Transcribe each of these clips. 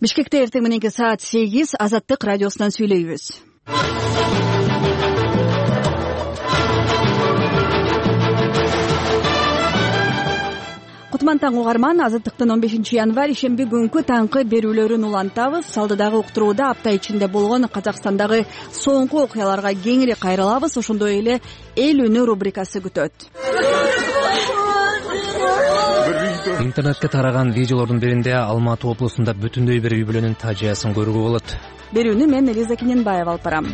Бишкекте эртең мененки саат 8 Азаттык радиосунан сүйлөйбүз. Кутман таң угарман, Азаттыктын 15 январь ишемби күнкү таңкы берүүлөрүн улантабыз. Алдыдагы уктурууда апта ичинде болгон Казакстандагы соңку окуяларга кеңири кайрылабыз. Ошондой эле эл үнү рубрикасы күтөт. Интернетке тараган видеолордун биринде Алматы облусунда бүтүндөй бир үй бүлөнүн фажиясын көрүүгө болот. Берүүнү мен Элиза Кененбаева алып барам.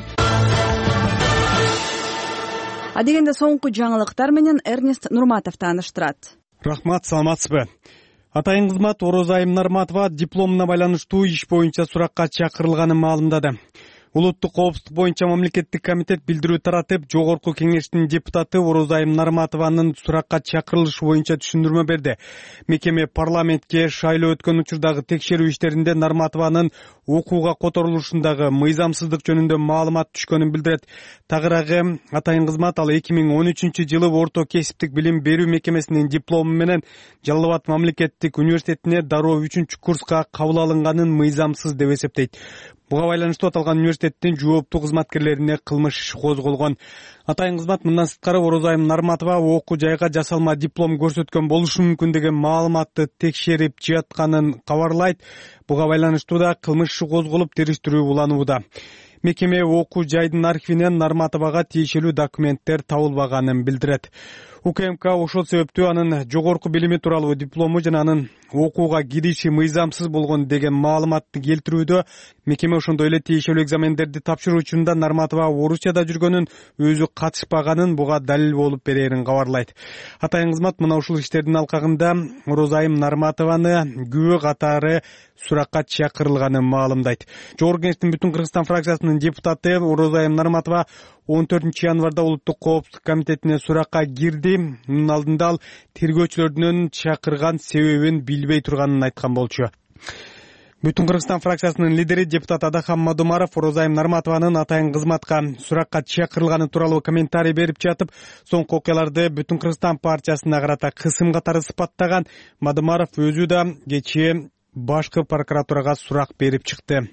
Адегенде соңку жаңылыктар менен Эрнест Нурматов тааныштырат. Рахмат, саламатсызбы? Атайын кызмат Орозайым Нарматова дипломуна байланыштуу иш боюнча суракка чакырылганын маалымдады. Улуттук коопсуздук боюнча мамлекеттик комитет билдирүү таратып, жогорку кеңештин депутаты Орозайым Нарматованын суракка чакырылышы боюнча түшүндүрмө берди. Мекеме парламентке шайлоо өткөн учурдагы текшерүү иштеринде Нарматованын окууга которулушундагы мыйзамсыздык жөнүндө маалымат түшкөнүн билдирет. Тагыраагы атайын кызмат ал 2013-жылы Орто кесиптик билим берүү мекемесинин диплому менен Жалал Абад мамлекеттик университетине дароо 3-курска кабыл алынганын мыйзамсыз деп эсептейт. Буга байланыштуу аталган университеттин жооптуу кызматкерлерине кылмыш иши козголгон. Атайын кызмат мындан сырткары Орозайым Нарматова окуу жайга жасалма диплом көрсөткөн болушу мүмкүн деген маалыматты текшерип жатканын кабарлайт. Буга байланыштуу да кылмыш иши козголуп, териштирүү уланууда. Мекеме окуу жайдын архивинен Нарматовага тиешелүү документтер табылбаганын билдирет. УКМК ошол себептүү анын жогорку билими тууралуу диплому жана анын окууга кириши мыйзамсыз болгон деген маалыматты келтирүүдө. Мекеме ошондой эле тиешелүү экзамендерди тапшыруу учурунда Нарматова Орусияда жүргөнүн, өзү катышпаганын буга далил болуп берерин кабарлайт. Атайын кызмат мына ушул иштердин алкагында Орозайым Нарматованы күбө катары суракка чакырылганын маалымдайт. Жогорку кеңештин Бүтүн Кыргызстан фракциясынын депутаты Орозайым Нарматова 14 январда Улуттук коопсуздук комитетине суракка кирди. Мунун алдында ал тергөөчүлөрдүн чакырган себебин билбей турганын айткан болчу. Бүтүн Кыргызстан фракциясынын лидери депутат Адахан Мадумаров Орозайым Нарматованын атайын кызматка суракка чакырылганы тууралуу комментарий берип жатып, соңку окуяларды Бүтүн Кыргызстан партиясына карата кысым катары сыпаттаган. Мадумаров өзү да кечээ башкы прокуратурага сурак берип чыкты.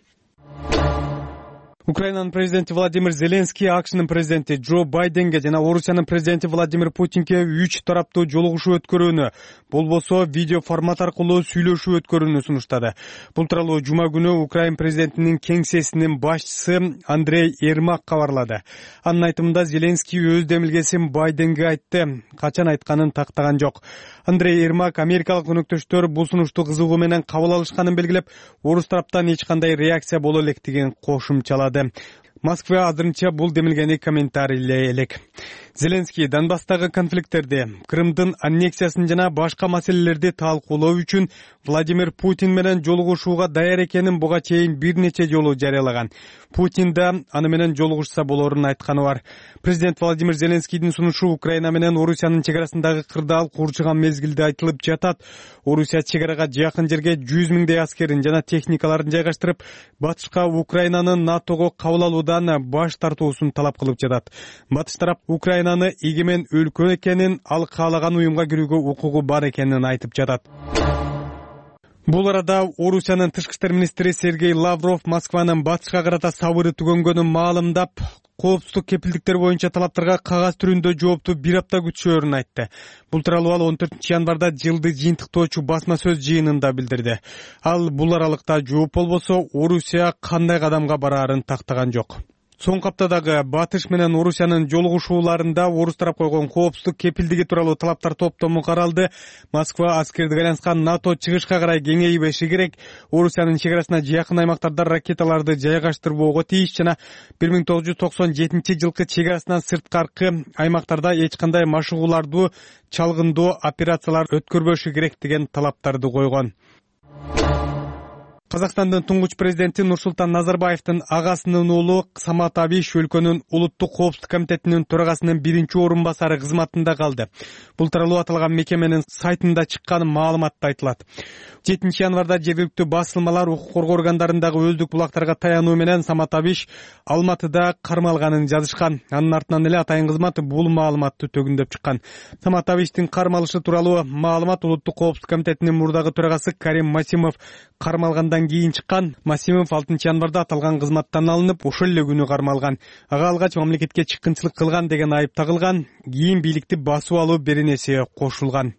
Украинанын президенти Владимир Зеленский АКШнын президенти Джо Байденге жана Орусиянын президенти Владимир Путинге 3 тараптуу жолугушуу өткөрүүнү, болбосо видео формат аркылуу сүйлөшүү өткөрүүнү сунуштады. Бул тууралуу жума күнү Украин президентинин кеңсесинин башчысы Андрей Ермак кабарлады. Анын айтымында Зеленский өз демилгесин Байденге айтты, качан айтканын тактаган жок. Андрей Ермак америкалык өнөктөштөр бул сунушту кызыгуу менен кабыл алышканын белгилеп, орус тараптан эч кандай реакция боло электигин кошумчалады. Москва азырынча бул демилгени комментарийлей элек. Зеленский Донбасстагы конфликттерди, Крымдын аннексиясын жана башка маселелерди талкуулоо үчүн Владимир Путин менен жолугушууга даяр экенин буга чейин бир нече жолу жарыялаган. Путин да аны менен жолугушса болорун айтканы бар. Президент Владимир Зеленскийдин сунушу Украина менен Орусиянын чек арасындагы кырдаал курчуган мезгилде айтылып жатат. Орусия чек арага жакын жерге 100 миңдей аскерин жана техникаларын жайгаштырып, батышка Украинанын НАТОго кабыл алуудан баш тартуусун талап кылып жатат. Батыш тарап Украинаны эгемен өлкө экенин, ал каалаган уюмга кирүүгө укугу бар экенин айтып жатат. Бул арада Орусиянын тышкы иштер министри Сергей Лавров Москванын батышка карата сабыры түгөнгөнүн маалымдап, коопсуздук кепилдиктер боюнча талаптарга кагаз түрүндө жоопту бир апта күтүшөөрүн айтты. Бул тууралуу ал 14 январда жылды жыйынтыктоочу басма сөз жыйынында билдирди. Ал бул аралыкта жооп болбосо Орусия кандай кадамга бараарын тактаган жок. Соңку аптадагы Батыш менен Орусиянын жолугушууларында орус тарап койгон коопсуздук кепилдиги тууралуу талаптар топтому каралды. Москва аскердик айланышкан НАТО чыгышка карай кеңейбеши керек, Орусиянын чек арасына жакын аймактарда ракеталарды жайгаштырбоого тийиш жана 1997-жылкы чек арасынан сырткаркы аймактарда эч кандай машыгууларды чалгындоо операциялар өткөрбөшү керек деген талаптарды койгон. Казакстандын туңгуч президенти Нурсултан Назарбаевдин агасынын уулу Самат Абиш өлкөнүн улуттук коопсуздук комитетинин төрагасынын биринчи орун басары кызматында калды. Бул тууралуу аталган мекеменин сайтында чыккан маалыматта айтылат. 7 январда жергиликтүү басылмалар укук коргоо органдарындагы өздүк булактарга таянуу менен Самат Абиш Алматыда кармалганын жазышкан. Анын артынан эле атайын кызмат бул маалыматты төгүндөп чыккан. Самат Абиштин кармалышы тууралуу маалымат улуттук коопсуздук комитетинин мурдагы төрагасы Карим Масимов кармалгандан андан кийин чыккан. Масимов 6-январда аталган кызматтан алынып, ошол эле күнү кармалган. Ага алгач мамлекетке чыккынчылык кылган деген айып тагылган. Кийин бийликти басып алуу беренеси кошулган.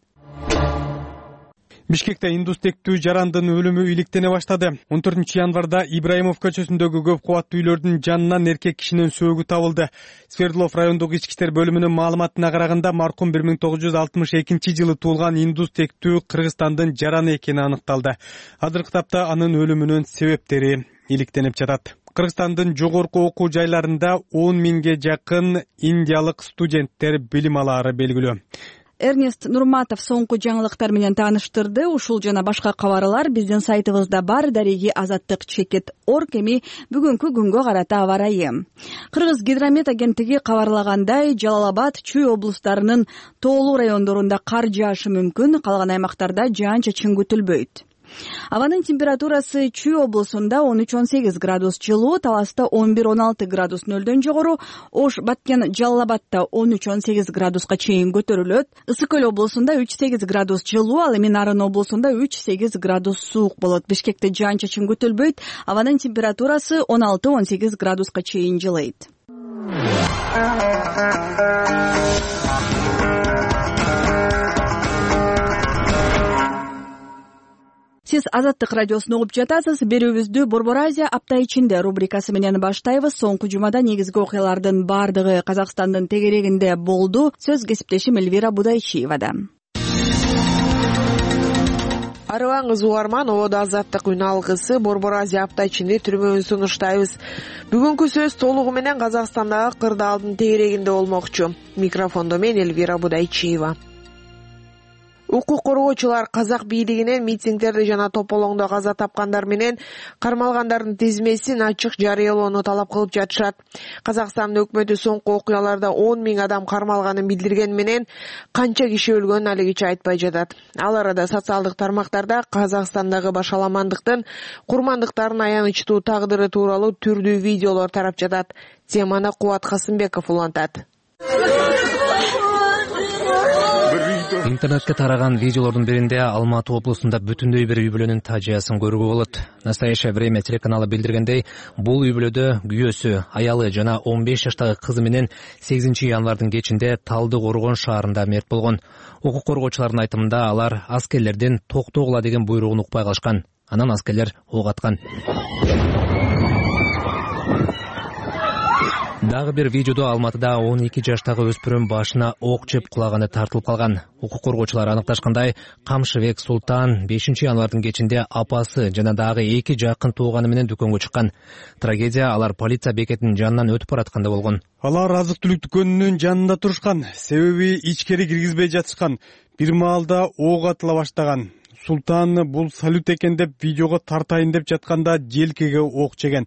Бишкекте индус тектүү жарандын өлүмү иликтене баштады. 14-январда Ибраимов көчөсүндөгү көп кубаттуу үйлөрдүн жанынан эркек кишинин сөөгү табылды. Свердлов райондук ички иштер бөлүмүнүн маалыматына караганда маркум 1962-жылы туулган индус тектүү Кыргызстандын жараны экени аныкталды. Азыркы тапта анын өлүмүнүн себептери иликтенип жатат. Кыргызстандын жогорку окуу жайларында 10 миңге жакын индиялык студенттер билим алаары белгилүү. Эрнест Нурматов соңку жаңылыктар менен тааныштырды. Ушул жана башка кабарлар биздин сайтыбызда бар. Дареги Азаттык /Орг. Эми бүгүнкү күнгө карата аба ырайы. Кыргыз гидромет агенттиги кабарлагандай, Жалал Абад, Чүй облустарынын тоолуу райондорунда кар жаашы мүмкүн, калган аймактарда жаан-чачын күтүлбөйт. Абанын температурасы Чүй облусунда 13-18 градус жылуу, Таласта 11-16 градус нөлдөн жогору, Ош, Баткен, Жалал Абадта 13-18 градуска чейин көтөрүлөт. Ысык Көл облусунда 3-8 градус жылуу, ал эми Нарын облусунда 3-8 градус суук болот. Бишкекте жаан-чачын күтүлбөйт. Абанын температурасы 16-18 градуска чейин жылыйт. Сиз Азаттык радиосун угуп жатасыз. Берүүбүздү Борбор Азия апта ичинде рубрикасы менен баштайбыз. Соңку жумада негизги окуялардын бардыгы Казакстандын тегерегинде болду. Сөз кесиптешим Эльвира Будайчиевада. Арыбаңыз угарман, ободо Азаттык үн алгысы Борбор Азия апта ичинде түрмөбүн сунуштайбыз. Бүгүнкү сөз толугу менен Казакстандагы кырдаалдын тегерегинде болмокчу. Микрофондо мен Эльвира Будайчиева. Укук коргоочулар казак бийлигинен митингдерди жана тополоңдо каза тапкандар менен кармалгандардын тизмесин ачык жарыялоону талап кылып жатышат. Казакстандын өкмөтү соңку окуяларда 10 миң адам кармалганын билдирген менен канча киши өлгөнүн алигиче айтпай жатат. Ал арада социалдык тармактарда Казакстандагы башаламандыктын курмандыктардын аянычтуу тагдыры тууралуу түрдүү видеолор тарап жатат. Теманы Кубат Касымбеков улантат. Интернетке тараган видеолордун биринде Алматы облусунда бүтүндөй бир үй бүлөнүн тажыясын көрүүгө болот. Настоящее время телеканалы билдиргендей, бул үй бүлөдө күйөөсү, аялы жана 15 жаштагы кызы менен 8-январдын кечинде Талды Коргон шаарында мерт болгон. Укук коргоочулардын айтымында алар аскерлердин токтогула деген буйругун укпай калышкан. Анан аскерлер ок аткан. Дагы бир видеодо Алматыда 12 жаштагы өспүрүм башына ок жеп кулаганы тартылып калган. Укук коргоочулар аныкташкандай, Камшыбек Султан 5-январдын кечинде апасы жана дагы 2 жакын тууганы менен дүкөнгө чыккан. Трагедия алар полиция бекетинин жанынан өтүп баратканда болгон. Алар азык-түлүк дүкөнүнүн жанында турушкан, себеби ичкери киргизбей жатышкан. Бир маалда ок атыла баштаган. Султан бул салют экен деп видеого тартайын деп жатканда желкеге ок жеген.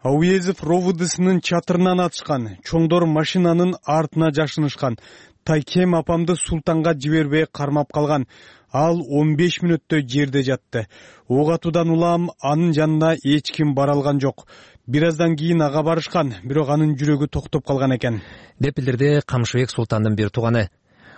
Ауезов РОВДсынын чатырынан атышкан. Чоңдор машинанын артына жашынышкан. Тайкем апамды Султанга жибербей кармап калган. Ал 15 мүнөттөй жерде жатты. Ок атуудан улам анын жанына эч ким бара алган жок. Бир аздан кийин ага барышкан, бирок анын жүрөгү токтоп калган экен. Деп билдирди Камшыбек Султандын бир тууганы.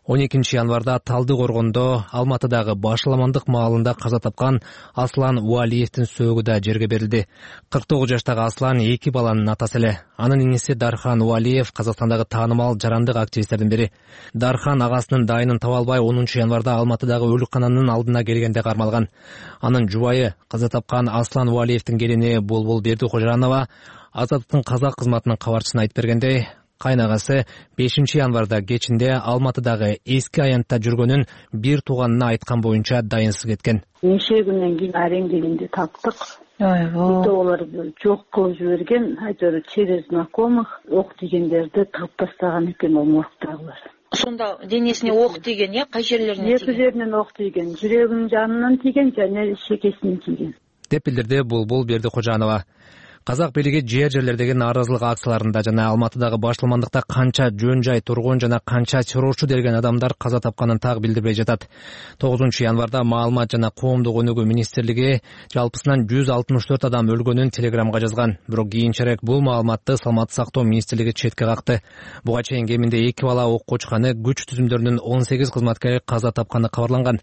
12-январда Талды Коргондо Алматыдагы Башаламандык маалында каза тапкан Аслан Уалиевдин сөөгү да жерге берилди. 49 жаштагы Аслан 2 баланын атасы эле. Анын иниси Дархан Уалиев Казакстандагы таанымал жарандык активисттердин бири. Дархан агасынын дайынын таба албай 10-январда Алматыдагы өлүккананын алдына келгенде кармалган. Анын жубайы каза тапкан Аслан Уалиевдин келини Булбул Бердикожоранова Азаттыктын казак кызматынын кабарчысына айтып бергендей, кайнагасы 5-январда кечинде Алматыдагы эски аянтта жүргөнүн бир тууганына айткан боюнча дайынсыз кеткен. Неше күндөн кийин арендегенде таптык. Видеолорду жок кылып жиберген, айтор через знакомых ок тийгендерди тап тастаган экен ол моргдагылар. Сонда денесине ок тийген, кай жерлерине тийген? Эки жеринен ок тийген, жүрөгүнүн жанынан тийген жана шекесинен тийген. Деп билдирди Булбул Бердикожоранова. Казак бийлиги жерлердеги нааразылык акцияларында жана Алматыдагы башламандыкта канча жөн жай тургун жана канча террорчу делген адамдар каза тапканын так билдирбей жатат. 9-январда Маалымат жана коомдук өнүгүү министрлиги жалпысынан 164 адам өлгөнүн телеграмга жазган. Бирок кийинчерээк бул маалыматты Саламаттык сактоо министрлиги четке какты. Буга чейин кеминде 2 бала окко учканы, күч түзүмдөрүнүн 18 кызматкери каза тапканы кабарланган.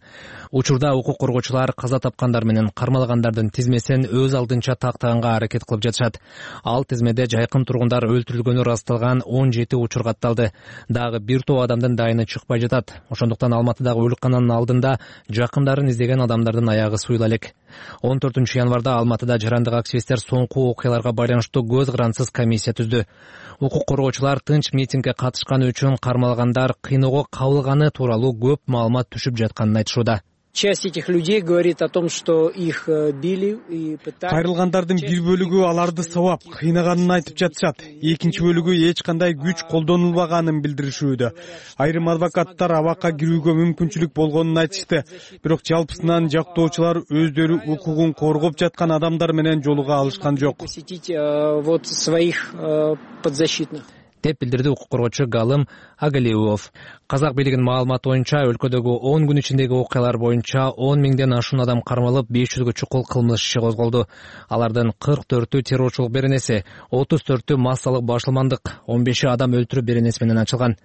Учурда укук коргоочулар каза тапкандар менен кармалгандардын тизмесин өз алдынча тактаганга аракет кылып жатышат. Ал тизмеде жайкын тургундар өлтүрүлгөнү ырасталган 17 учур катталды. Дагы бир топ адамдын дайыны чыкпай жатат. Ошондуктан Алматыдагы өлүккананын алдында жакындарын издеген адамдардын аягы суйла элек. 14-январда Алматыда жарандык активисттер соңку окуяларга байланыштуу көз карансыз комиссия түздү. Укук коргоочулар тынч митингге катышканы үчүн кармалгандар кыйноого кабылганы тууралуу көп маалымат түшүп жатканын айтышууда. Часть этих людей говорит о том, что их били и пытались. Кайрылгандардын бир бөлүгү аларды сабап, кыйнаганын айтып жатышат. Экинчи бөлүгү эч кандай күч колдонулбаганын билдиришүүдө. Айрым адвокаттар абакка кирүүгө мүмкүнчүлүк болгонун айтышты. Бирок жалпысынан жактоочулар өздөрү укугун коргоп жаткан адамдар менен жолуга алышкан жок. Посетить вот своих подзащитных. Деп билдирди укук коргоочу Галым Агалиев. Казак бийлигинин маалыматы боюнча өлкөдөгү 10 күн ичиндеги окуялар боюнча 10 миңден ашуун адам кармалып, 500гө чукул кылмыш иши козголду. Алардын 44-ү террорчулук беренеси, 34-ү массалык башламандык, 15-и адам өлтүрүү беренеси менен ачылган.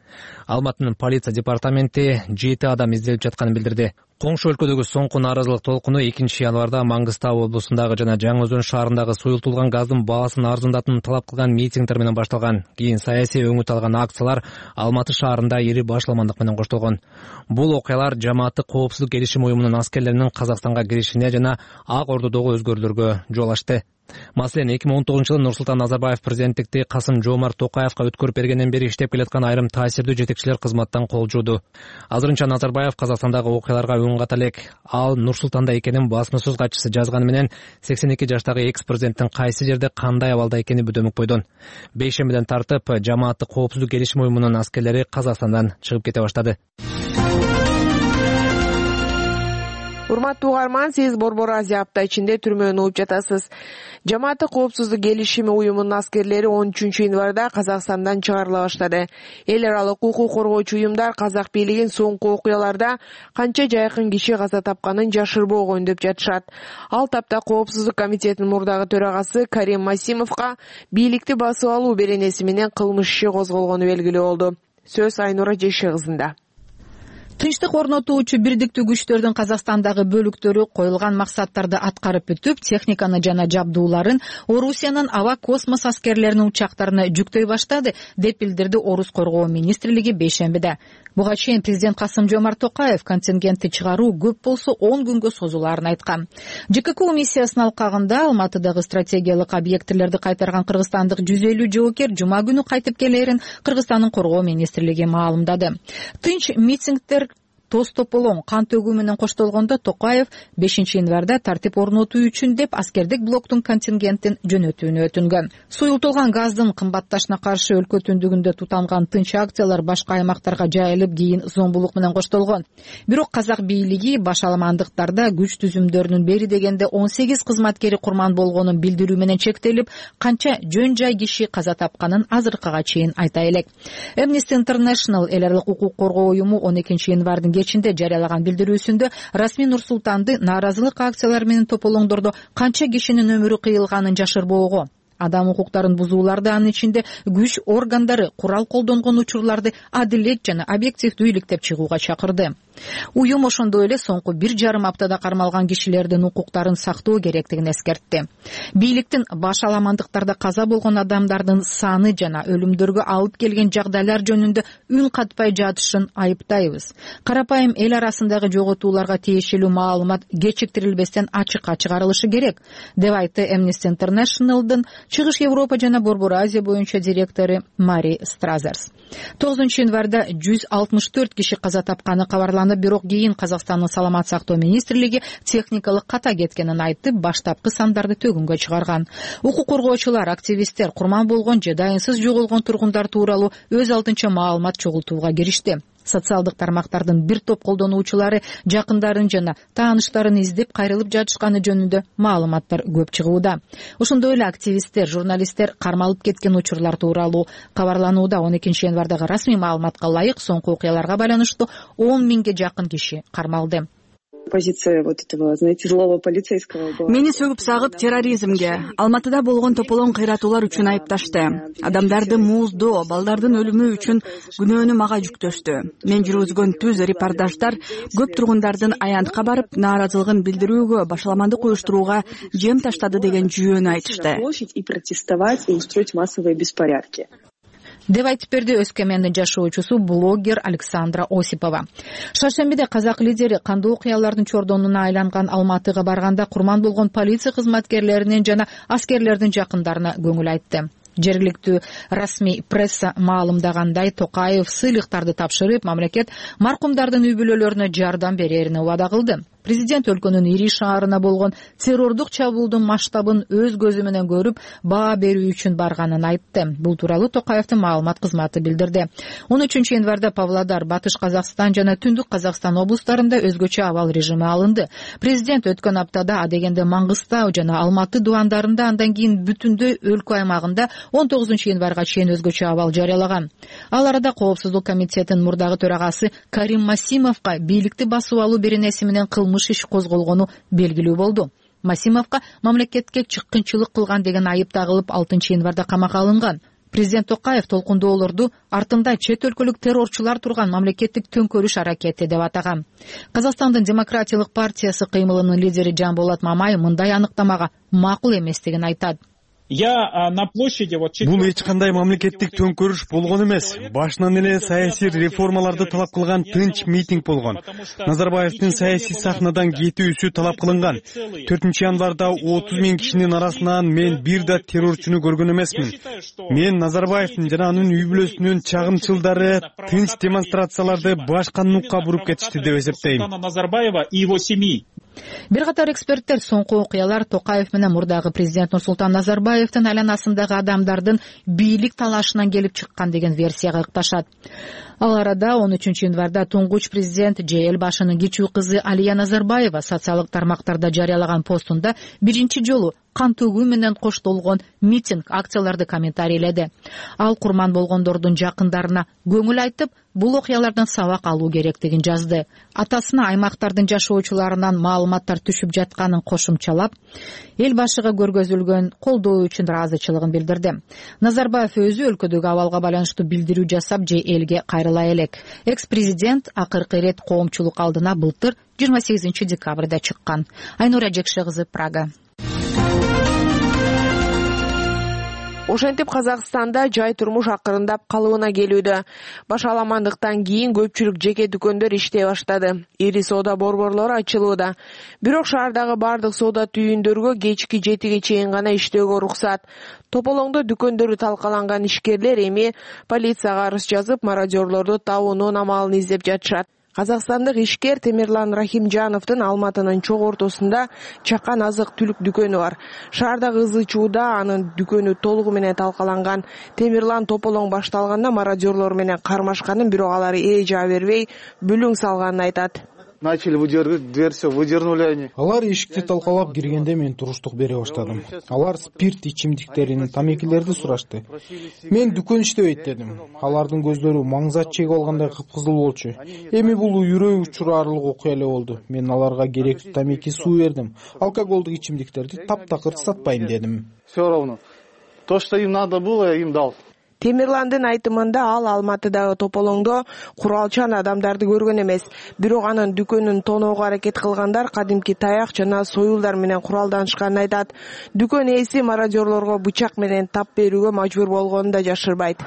Алматынын полиция департаменти 7 адам изделип жатканын билдирди. Коңшу өлкөдөгү соңку нааразылык толкуну 2-январда Маңгыстау облусундагы жана Жаңы Өзөн шаарындагы суюлтулган газдын баасын арзандатууну талап кылган митингдер менен башталган. Кийин саясий өңүт алган акциялар Алматы шаарында ири башламандык менен коштолгон. Бул окуялар жамааттык коопсуздук келишим уюмунун аскерлеринин Казакстанга киришине жана Ак Ордодогу өзгөрүүлөргө жол ачты. Маселен, 2010-жылы Нурсултан Назарбаев президенттикти Касым-Жомарт Токаевка өткөрүп бергенден бери иштеп келаткан айрым таасирдүү жетекчилер кызматтан кол жууду. Азырынча Назарбаев Казакстандагы окуяларга үн ката элек. Ал Нурсултанда экенин басма-сөз катчысы жазганы менен 82 жаштагы экс-президенттин кайсы жерде кандай абалда экени бөдөмөк бойдон. Бейшембиден тартып жамааттык коопсуздук келишим уюмунун аскерлери Казакстандан чыгып кете баштады. Урматтуу угарман, сиз Борбор Азия апта ичинде түрмөнү угуп жатасыз. Жамааттык коопсуздук келишими уюмунун аскерлери 13-январда Казакстандан чыгарыла баштады. Эл аралык укук коргоочу уюмдар казак бийлигин соңку окуяларда канча жайкын киши каза тапканын жашырбоо деп жатышат. Ал тапта коопсуздук комитетинин мурдагы төрагасы Карим Масимовго бийликти басып алуу беренеси менен кылмыш иши козголгону белгилүү болду. Сөз Айнура Жеши кызында. Тынчтык орнотуучу бирдиктүү күчтөрдүн Казакстандагы бөлүктөрү коюлган максаттарды аткарып бүтүп, техниканы жана жабдууларын Орусиянын аба космос аскерлеринин учактарына жүктөй баштады, деп билдирди Орус коргоо министрлиги бейшембиде. Буга чейин президент Касым-Жомарт Токаев контингентти чыгаруу көп болсо 10 күнгө созулаарын айткан. ЖККУ миссиясынын алкагында Алматыдагы стратегиялык объектилерди кайтарган кыргызстандык 150 жоокер жума күнү кайтып келерин Кыргызстандын коргоо министрлиги маалымдады. Тынч митингдер тоз тополоң кан төгүү менен коштолгондо Токаев 5-январда тартип орнотуу үчүн деп аскердик блоктун контингентин жөнөтүүнү өтүнгөн. Суюлтулган газдын кымбатташына каршы өлкө түндүгүндө тутанган тынч акциялар башка аймактарга жайылып, кийин зомбулук менен коштолгон. Бирок казак бийлиги башаламандыктарда күч түзүмдөрүнүн бери дегенде 18 кызматкери курман болгонун билдирүү менен чектелип, канча жөн жай киши каза тапканын азыркыга чейин айта элек. Amnesty International эл аралык укук коргоо уюму 12-январдын кечинде жарыялаган билдирүүсүндө расмий Нур-Султанды нааразылык акциялары менен тополоңдордо канча кишинин өмүрү кыйылганын жашырбоого, адам укуктарын бузууларды, анын ичинде күч органдары курал колдонгон учурларды адилет жана объективдүү иликтеп чыгууга чакырды. Уюм ошондой эле соңку 1,5 аптада кармалган кишилердин укуктарын сактоо керектигин эскертти. Бийликтин башаламандыктарда каза болгон адамдардын саны жана өлүмдөргө алып келген жагдайлар жөнүндө үн катпай жатышын айыптайбыз. Карапайым эл арасындагы жоготууларга тиешелүү маалымат кечиктирилбестен ачыкка чыгарылышы керек, деп айтты Amnesty International'дын Чыгыш Европа жана Борбор Азия боюнча директору Мари Стразерс. 9-январда 164 киши каза тапканы кабарланып, бирок кийин Казакстандын саламат сактоо министрлиги техникалык ката кеткенин айтып, баштапкы сандарды төгүнгө чыгарган. Укук коргоочулар, активисттер курман болгон же дайынсыз жоголгон тургундар тууралуу өз алдынча маалымат чогултууга киришти. Социалдык тармактардын бир топ колдонуучулары жакындарын жана тааныштарын издеп кайрылып жатышканы жөнүндө маалыматтар көп чыгууда. Ошондой эле активисттер, журналисттер кармалып кеткен учурлар тууралуу кабарланууда. 12 январдагы расмий маалыматка ылайык соңку окуяларга байланыштуу 10 миңге жакын киши кармалды. Позиция вот этого, знаете, злого полицейского была. Мени сөгүп сагып терроризмге, Алматыда болгон тополоң кыйратуулар үчүн айыпташты. Адамдарды мууздоо, балдардын өлүмү үчүн күнөөнү мага жүктөштү. Мен жүргүзгөн түз репортаждар көп тургундардын аянтка барып, нааразылыгын билдирүүгө, башаламандык уюштурууга жем таштады деген жүйөнү айтышты. И протестовать, и устроить массовые беспорядки. Деп айтып берди Өскемендин жашоочусу блогер Александра Осипова. Шаршембиде казак лидери кандуу окуялардын чордонуна айланган Алматыга барганда курман болгон полиция кызматкерлеринин жана аскерлердин жакындарына көңүл айтты. Жергиликтүү расмий пресса маалымдагандай, Токаев сыйлыктарды тапшырып, мамлекет маркумдардын үй бүлөлөрүнө жардам берерин убада кылды. Президент өлкөнүн ири шаарына болгон террордук чабуулдун масштабын өз көзү менен көрүп, баа берүү үчүн барганын айтты. Бул тууралуу Токаевдин маалымат кызматы билдирди. 13 январда Павлодар, Батыш Казакстан жана Түндүк Казакстан облустарында өзгөчө абал режими алынды. Президент өткөн аптада адегенде Маңгыстау жана Алматы дубандарында, андан кийин бүтүндөй өлкө аймагында 19 январга чейин өзгөчө абал жарыялаган. Ал арада Коопсуздук комитетинин мурдагы төрагасы Карим Масимовго бийликти басып алуу беренеси менен кылмыш иш козголгону белгилүү болду. Масимовго мамлекетке чыккынчылык кылган деген айып тагылып 6 январда камакка алынган. Президент Токаев толкундоолорду артында чет өлкөлүк террорчулар турган мамлекеттик төңкөрүш аракети деп атаган. Казакстандын демократиялык партиясы кыймылынын лидери Жанболот Мамай мындай аныктамага макул эместигин айтат. Бул эч кандай мамлекеттик төңкөрүш болгон эмес. Башынан эле саясий реформаларды талап кылган тынч митинг болгон. Назарбаевдин саясий сахнадан кетүүсү талап кылынган. 4 январда 30 миң кишинин арасынан мен бир да террорчуну көргөн эмесмин. Мен Назарбаевдин жана анын үй бүлөсүнүн чагымчылдары тынч демонстрацияларды башка нукка буруп кетишти деп эсептейм. Бир катар эксперттер соңку окуялар Токаев менен мурдагы президент Нурсултан Назарбаевдин айланасындагы адамдардын бийлик талашынан келип чыккан деген версияга ыкташат. Ал арада 13 январда туңгуч президент же эл башынын кичүү кызы Алия Назарбаева социалдык тармактарда жарыялаган постунда биринчи жолу кан төгүү менен коштолгон митинг, акцияларды комментарийледи. Ал курман болгондордун жакындарына көңүл айтып, бул окуялардан сабак алуу керектигин жазды. Атасына аймактардын жашоочуларынан маалыматтар түшүп жатканын кошумчалап, эл башыга көргөзүлгөн колдоо үчүн ыраазычылыгын билдирди. Назарбаев өзү өлкөдөгү абалга байланыштуу билдирүү жасап же элге кайрыла элек. Экс-президент акыркы ирет коомчулук алдына былтыр 28 декабрда чыккан. Айнура Жекше кызы, Прага. Ошентип Казакстанда жай турмуш акырындап калыбына келүүдө. Башаламандыктан кийин көпчүлүк жеке дүкөндөр иштей баштады. Ири соода борборлору ачылууда. Бирок шаардагы бардык соода түйүндөргө кечки 7ге чейин гана иштөөгө уруксат. Тополоңдо дүкөндөрү талкаланган ишкерлер эми полицияга арыз жазып, мародёрлорду табуунун амалын издеп жатышат. Казакстандык ишкер Темирлан Рахимжановдун Алматынын чок ортосунда чакан азык-түлүк дүкөнү бар. Шаардагы ызы чууда анын дүкөнү толугу менен талкаланган. Темирлан тополоң башталганда мародёрлор менен кармашканын, бирок алар жаа бербей бүлүң салганын айтат. Начали выдергивать, дверь все выдернули они. Алар эшикти талкалап киргенде мен туруштук бере баштадым. Алар спирт ичимдиктерин, тамекилерди сурашты. Мен дүкөн иштебейт дедим. Алардын көздөрү маңзат чегип алгандай кыпкызыл болчу. Эми бул үрөй учурарлык окуя эле болду. Мен аларга керектүү тамеки, суу бердим. Алкоголдук ичимдиктерди таптакыр сатпайм дедим. Все равно. То, что им надо было, я им дал. Темирландын айтымында ал Алматыдагы тополоңдо куралчан адамдарды көргөн эмес. Бирок анын дүкөнүн тоноого аракет кылгандар кадимки таяк жана союлдар менен куралданышканын айтат. Дүкөн ээси мародёрлорго бычак менен тап берүүгө мажбур болгонун да жашырбайт.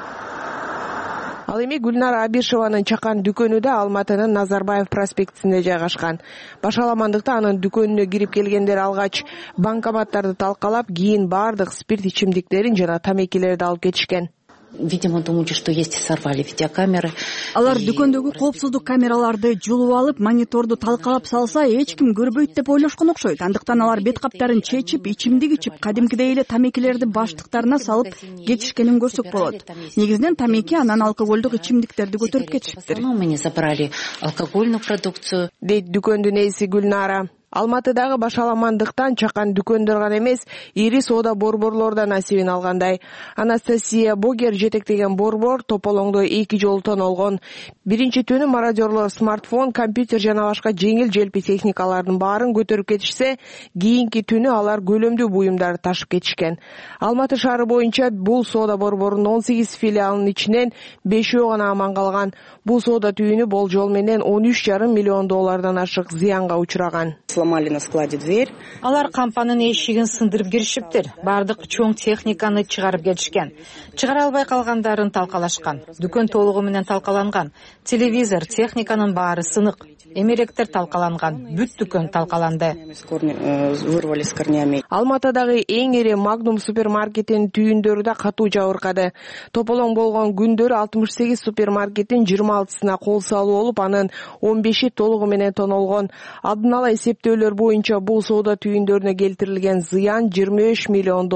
Ал эми Гүлнара Абишеванын чакан дүкөнү да Алматынын Назарбаев проспектисинде жайгашкан. Башаламандыкта анын дүкөнүнө кирип келгендер алгач банкоматтарды талкалап, кийин бардык спирт ичимдиктерин жана тамекилерди алып кетишкен. видимо, думали, что есть, и сорвали видеокамеры. Алар дүкөндөгү коопсуздук камераларды жулуп алып, мониторду талкалап салса, эч ким көрбөйт деп ойлошкон окшойт. Андыктан алар бет каптарын чечип, ичимдик ичип, кадимкидей эле тамекилерди баштыктарына салып кетишкенин көрсөк болот. Негизинен тамеки, анан алкоголдук ичимдиктерди көтөрүп кетишиптир. Мы не забрали алкогольную продукцию. Дейт дүкөндүн ээси Гүлнара. Алматыдагы башаламандыктан чакан дүкөндөр гана эмес, ири соода борборлор да насибин алгандай. Анастасия Богер жетектеген борбор Тополоңдо 2 жолу тоналгон. Биринчи түнү мародерлор смартфон, компьютер жана башка жеңил желпи техникалардын баарын көтөрүп кетишсе, кийинки түнү алар көлөмдүү буюмдарды ташып кетишкен. Алматы шаары боюнча бул соода борборунун 18 филиалынын ичинен 5 гана аман калган. Бул соода түйүнү болжол менен $13,5 миллион ашык зыянга учураган. Сломали на складе дверь. Алар кампанын эшигин сындырып киришиптир. Бардык чоң техниканы чыгарып кетишкен. Чыгара албай калгандарын талкалашкан. Дүкөн толугу менен талкаланган. Телевизор, техниканын баары сынык. Эмеректер талкаланган. Бүт дүкөн талкаланды. Вырвали с корнями. Алматыдагы эң ири Magnum супермаркетинин түйүндөрү да катуу жабыркады. Тополоң болгон күндөрү 68 супермаркеттин 26-сына кол салуу болуп, анын 15-и толугу менен тонолгон. Алдын ала эсептөөлөр боюнча бул соода түйүндөрүнө келтирилген зыян $25 миллион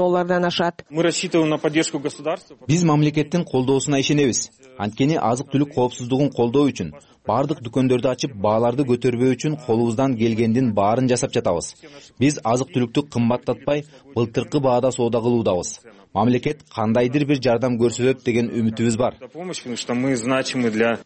ашат. Мы рассчитываем на поддержку государства. Биз мамлекеттин колдоосуна ишенебиз. Анткени азык-түлүк коопсуздугун колдоо үчүн бардык дүкөндөрдү ачып, бааларды көтөрбөө үчүн колубуздан келгендин баарын жасап жатабыз. Биз азык-түлүктү кымбаттатпай, былтыркы баада соода кылуудабыз. Мамлекет кандайдыр бир жардам көрсөтөт деген үмүтүбүз бар.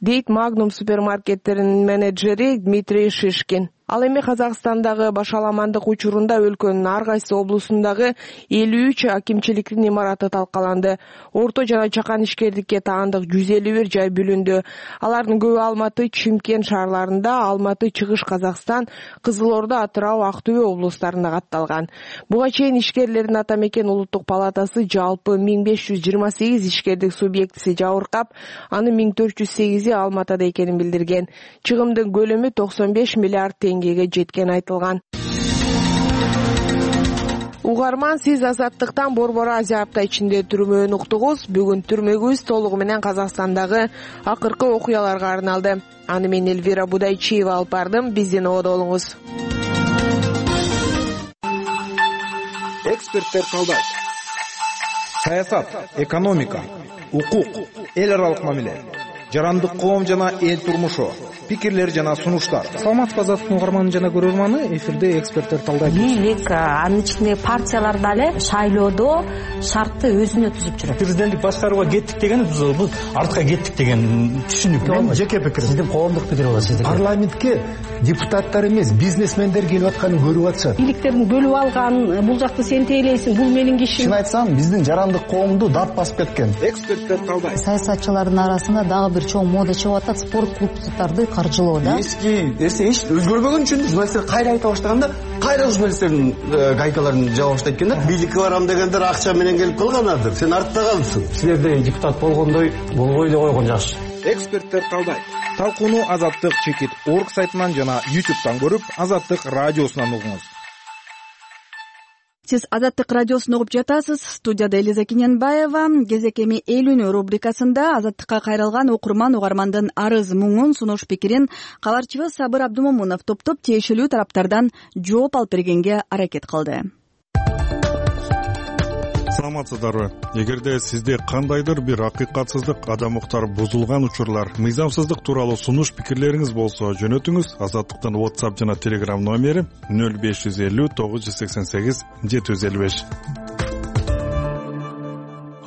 Дейт Magnum супермаркеттеринин менеджери Дмитрий Шишкин. Ал эми Казакстандагы башаламандык учурунда өлкөнүн ар кайсы облусундагы 53 акимчиликтин имараты талкаланды. Орто жана чакан ишкердикке таандык 151 жай бүлүндү. Алардын көбү Алматы, Чимкент шаарларында, Алматы, Чыгыш Казакстан, Кызыл Орда, Атырау, Актөбө облустарында катталган. Буга чейин ишкерлердин ата мекен улуттук палатасы жалпы 1528 ишкердик субъектиси жабыркап, анын 1408-и Алматыда экенин билдирген. Чыгымдын көлөмү 95 миллиард теңгеге жеткен айтылган. Угарман, сиз Азаттыктан Борбор Азия апта ичинде түрмөөнү уктуңуз. Бүгүн түрмөгүбүз толугу менен Казакстандагы акыркы окуяларга арналды. Аны мен Эльвира Будайчиева алып бардым. Биздин ободо болуңуз. Эксперттер талдайт. Саясат, экономика, укук, эл аралык мамиле, жарандык коом жана эл турмушу, пикирлер жана сунуштар. Саламатсызбы Азаттыктын угарманы жана көрөрманы, эфирде эксперттер талдайт. Бийлик, анын ичинде партиялар дагы шайлоодо шартты өзүнө түзүп жүрөт. Президенттик башкарууга кеттик деген бул артка кеттик деген түшүнүк. Мен жеке пикирим. Сиздин коомдук пикир болот сиздин. Парламентке депутаттар эмес, бизнесмендер келип атканын көрүп атышат. Бийликтерин бөлүп алган, бул жакты сен тейлейсиң, бул менин кишим. Чын айтсам, биздин жарандык коомду дат басып кеткен. Эксперттер талдайт. Саясатчылардын арасында дагы бир чоң мода чыгып атат, спорт клубдарды каржылоо да. Эч өзгөрбөгөн үчүн журналисттер кайра айта баштаганда, кайра журналисттердин гайкаларын жаба баштайт экен да. Бийликке барам дегендер акча менен келип калганадыр. Сен артта калдың. Силерде депутат болгондой болбой эле койгон жакшы. Эксперттер талдайт. Талкууну Азаттык.org сайтынан жана YouTube'дан көрүп, Азаттык радиосунан угуңуз. Сиз Азаттык радиосун угуп жатасыз. Студияда Элиза Кененбаева. Кезек эми эл үнү рубрикасында Азаттыкка кайрылган окурман угармандын арыз муңун, сунуш пикирин кабарчыбыз Сабыр Абдумомунов топтоп тиешелүү тараптардан жооп алып бергенге аракет кылды. Саламатсыздарбы? Эгерде сизде кандайдыр бир акыйкатсыздык, адам укуктары бузулган учурлар, мыйзамсыздык тууралуу сунуш пикирлериңиз болсо, жөнөтүңүз. Азаттыктын WhatsApp жана Telegram номери 0550 988 755.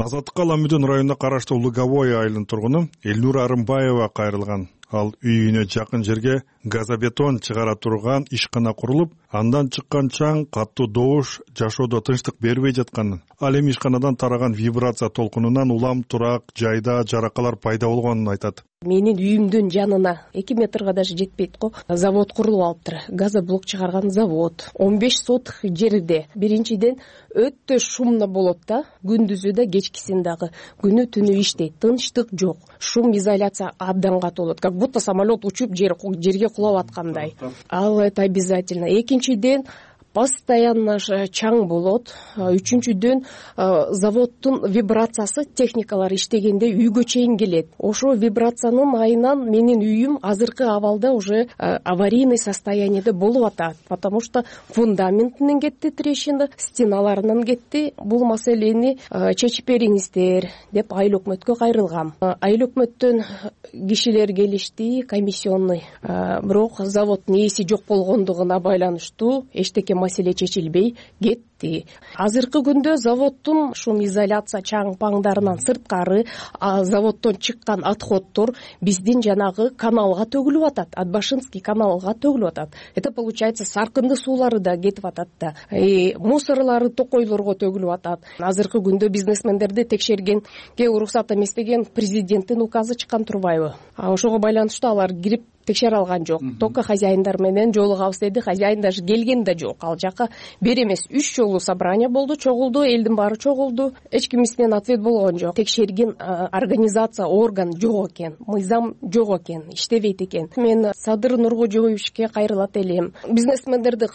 Азаттыкка Ламүдүн районуна караштуу Луговой айылынын тургуну Элнура Арымбаева кайрылган. Ал үйүнө жакын жерге газобетон чыгара турган ишкана курулуп, андан чыккан чаң, каттуу добуш жашоодо тынчтык бербей жатканын, ал эми ишканадан тараган вибрация толкунунан улам турак жайда жаракалар пайда болгонун айтат. Менин үйүмдүн жанына 2 метрге даже жетпейт го. Завод курулуп алыптыр. Газоблок чыгарган завод. 15 соток жерде. Биринчиден өтө шумно болот да, күндүзү да, кечкисин дагы. Күнү түнү иштейт. Тынчтык жок. Шум изоляция абдан катуу болот. Как будто самолет учуп жерге кулап аткандай. Ал это обязательно. Экинчиден постоянно чаң болот. Үчүнчүдөн заводдун вибрациясы техникалар иштегенде үйгө чейин келет. Ошо вибрациянын айынан менин үйүм азыркы абалда уже аварийный состояниеде болуп атат, потому что фундаментинен кетти трещина, стеналарынан кетти. Бул маселени чечип бериңиздер деп айыл өкмөткө кайрылгам. Айыл өкмөттөн кишилер келишти, комиссионный, бирок заводдун ээси жок болгондугуна байланыштуу эчтеке маселе чечилбей кетти. Азыркы күндө заводдун шум изоляция чаң паңдарынан сырткары заводдон чыккан отходдор биздин жанагы каналга төгүлүп атат, Атбашинский каналга төгүлүп атат. Это получается Саркынды суулары да кетип атат да, мусорлары токойлорго төгүлүп атат. Азыркы күндө бизнесмендерди текшергенге уруксат эмес деген президенттин указы чыккан турбайбы? Ошого байланыштуу алар кирип текшере алган жок. Только хозяиндар менен жолугабыз деди. Хозяин даже келген да жок. Ал жака бир эмес 3 жолу собрание болду, чогулду, элдин баары чогулду. Эч кимисинен ответ болгон жок. Текшерген организация, орган жок экен, мыйзам жок экен, иштебейт экен. Мен Садыр Нуркожоевичке кайрылат элем. Бизнесмендерди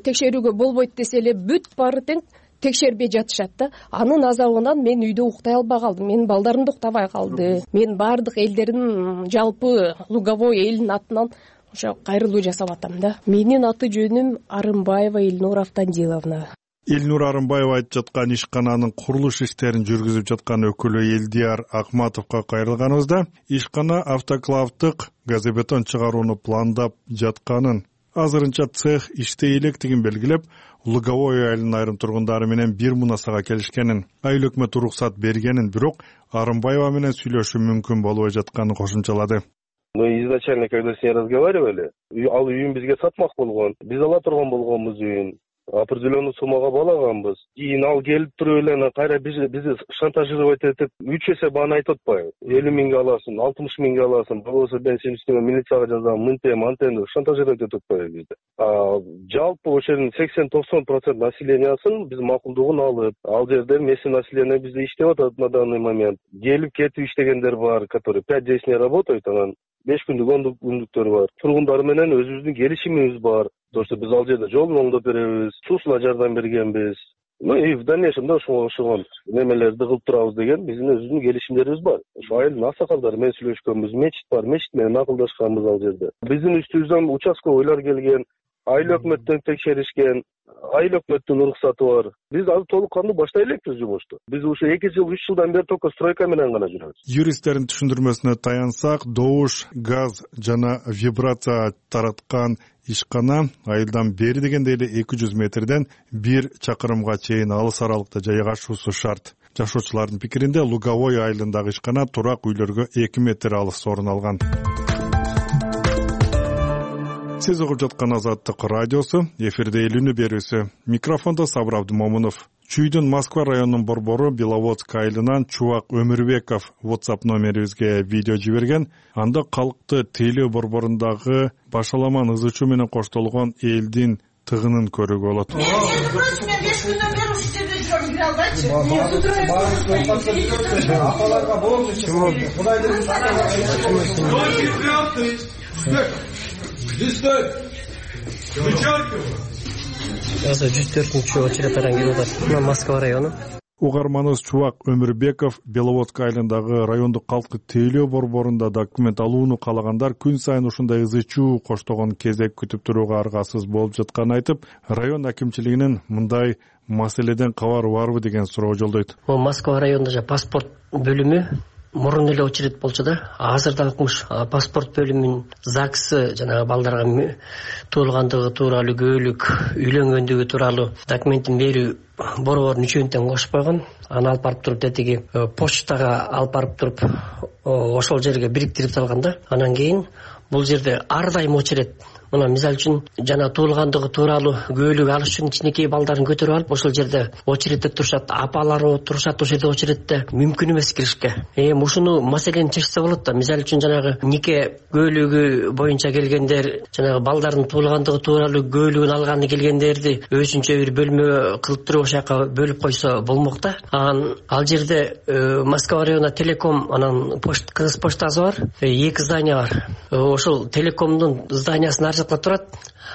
текшерүүгө болбойт десе эле бүт баары тең текшербей жатышат да. Анын азабынан мен үйдө уктай албай калдым. Менин балдарым да уктабай калды. Мен баардык элдердин, жалпы Луговой элинин атынан ошо кайрылуу жасап атам да. Менин аты жөнүм Арымбаева Эльнура Автандиловна. Эльнура Арымбаева айтып жаткан ишкананын курулуш иштерин жүргүзүп жаткан өкүлү Элдияр Акматовго кайрылганыбызда ишкана автоклавдык газобетон чыгарууну пландап жатканын, азырынча цех иштей электигин белгилеп, Луговой айылынын айрым тургундары менен бир мунасага келишкенин, айыл өкмөтү уруксат бергенин, бирок Арымбаева менен сүйлөшүү мүмкүн болбой жатканын кошумчалады. Мы изначально, когда с ней разговаривали, ал үйүн бизге сатмак болгон. Биз ала турган болгонбуз үйүн. Определенный суммага балаганбыз. Кийин ал келип туруп эле кайра бизди шантажировать этип 3 эсе бааны айтып атпайбы? 50 миңге аласың, 60 миңге аласың, болбосо мен сени үстүңө милицияга жазам, мынтем, антем деп шантажировать этип атпайбы бизди. Жалпы ошонун 80-90% населениясын биз макулдугун алып, ал жерде местный население бизде иштеп атат на данный момент. Келип кетип иштегендер бар, которые 5-10 дней работают, анан 5 күндүк, 10 күндүктөр бар. Тургундар менен өзүбүздүн келишимибиз бар. То, что биз ал жерде жолун оңдоп беребиз, суусуна жардам бергенбиз. И в дальнейшем да ошого немелерди кылып турабыз деген биздин өзүбүздүн келишимдерибиз бар. Ошо айылдын аксакалдары менен сүйлөшкөнбүз, мечит бар, мечит менен акылдашканбыз ал жерде. Биздин үстүбүздөн участковыйлар келген, айыл өкмөттөн текшеришкен, айыл өкмөттүн уруксаты бар. Биз азыр толук кандуу баштай элекпиз жумушту. Биз ушу 2 жыл, 3 жылдан бери только стройка менен гана жүрөбүз. Юристтердин түшүндүрмөсүнө таянсак, добуш, газ жана вибрация тараткан ишкана айылдан бери дегенде эле 200 метрден 1 чакырымга чейин алыс аралыкта жайгашуусу шарт. Жашоочулардын пикиринде Луговой айылындагы ишкана турак үйлөргө 2 метр алыс орун алган. Сиз угуп жаткан Азаттык радиосу, эфирде Элүүнү берүүсү. Микрофондо Сабыр Абдымомунов. Чүйдүн Москва районунун борбору Беловодск айылынан Чубак Өмүрбеков WhatsApp номерибизге видео жиберген. Анда калкты тейлөө борборундагы башаламан ызычуу менен коштолгон элдин тыгынын көрүүгө болот. Мен 5 күндөн бери ушул жерде жүрөм, кире албайчы. Апаларга болду. Азыр 104-чү очередтардан келип атат. Москва району. Угарманыбыз Чубак Өмүрбеков Беловодск айылындагы райондук калкты тейлөө борборунда документ алууну каалагандар күн сайын ушундай ызычуу коштогон кезек күтүп турууга аргасыз болуп жатканын айтып, район акимчилигинин мындай маселеден кабары барбы деген суроо жолдойт. Москва районунда паспорт бөлүмү мурун эле очеред болчу да, азыр дагы паспорт бөлүмүнүн ЗАГСы жанагы балдарга туулгандыгы тууралуу, көөлүк, үйлөнгөндүгү тууралуу документин берүү борборун үчөөнү тең кошуп койгон. Аны алып барып туруп тетиги почтага алып барып туруп ошол жерге бириктирип салган да. Анан кийин бул жерде ар дайым очеред. Мына мисалы үчүн жана туулгандыгы тууралуу көөлүк алыш үчүн кичинекей балдарын көтөрүп алып ошол жерде очередте турушат, апалары турушат ошол жерде очередте, мүмкүн эмес киришке. Ушуну маселени чечсе болот да. Мисалы үчүн жанагы нике көөлүгү боюнча келгендер, жанагы балдардын туулгандыгы тууралуу көөлүгүн алганы келгендерди өзүнчө бир бөлмө кылып туруп ошол жака бөлүп койсо болмок да. Ал жерде Москва районунда Телеком, анан Кыргыз почтасы бар, 2 здание бар. Ошол Телекомдун зданиясынын жакта турат.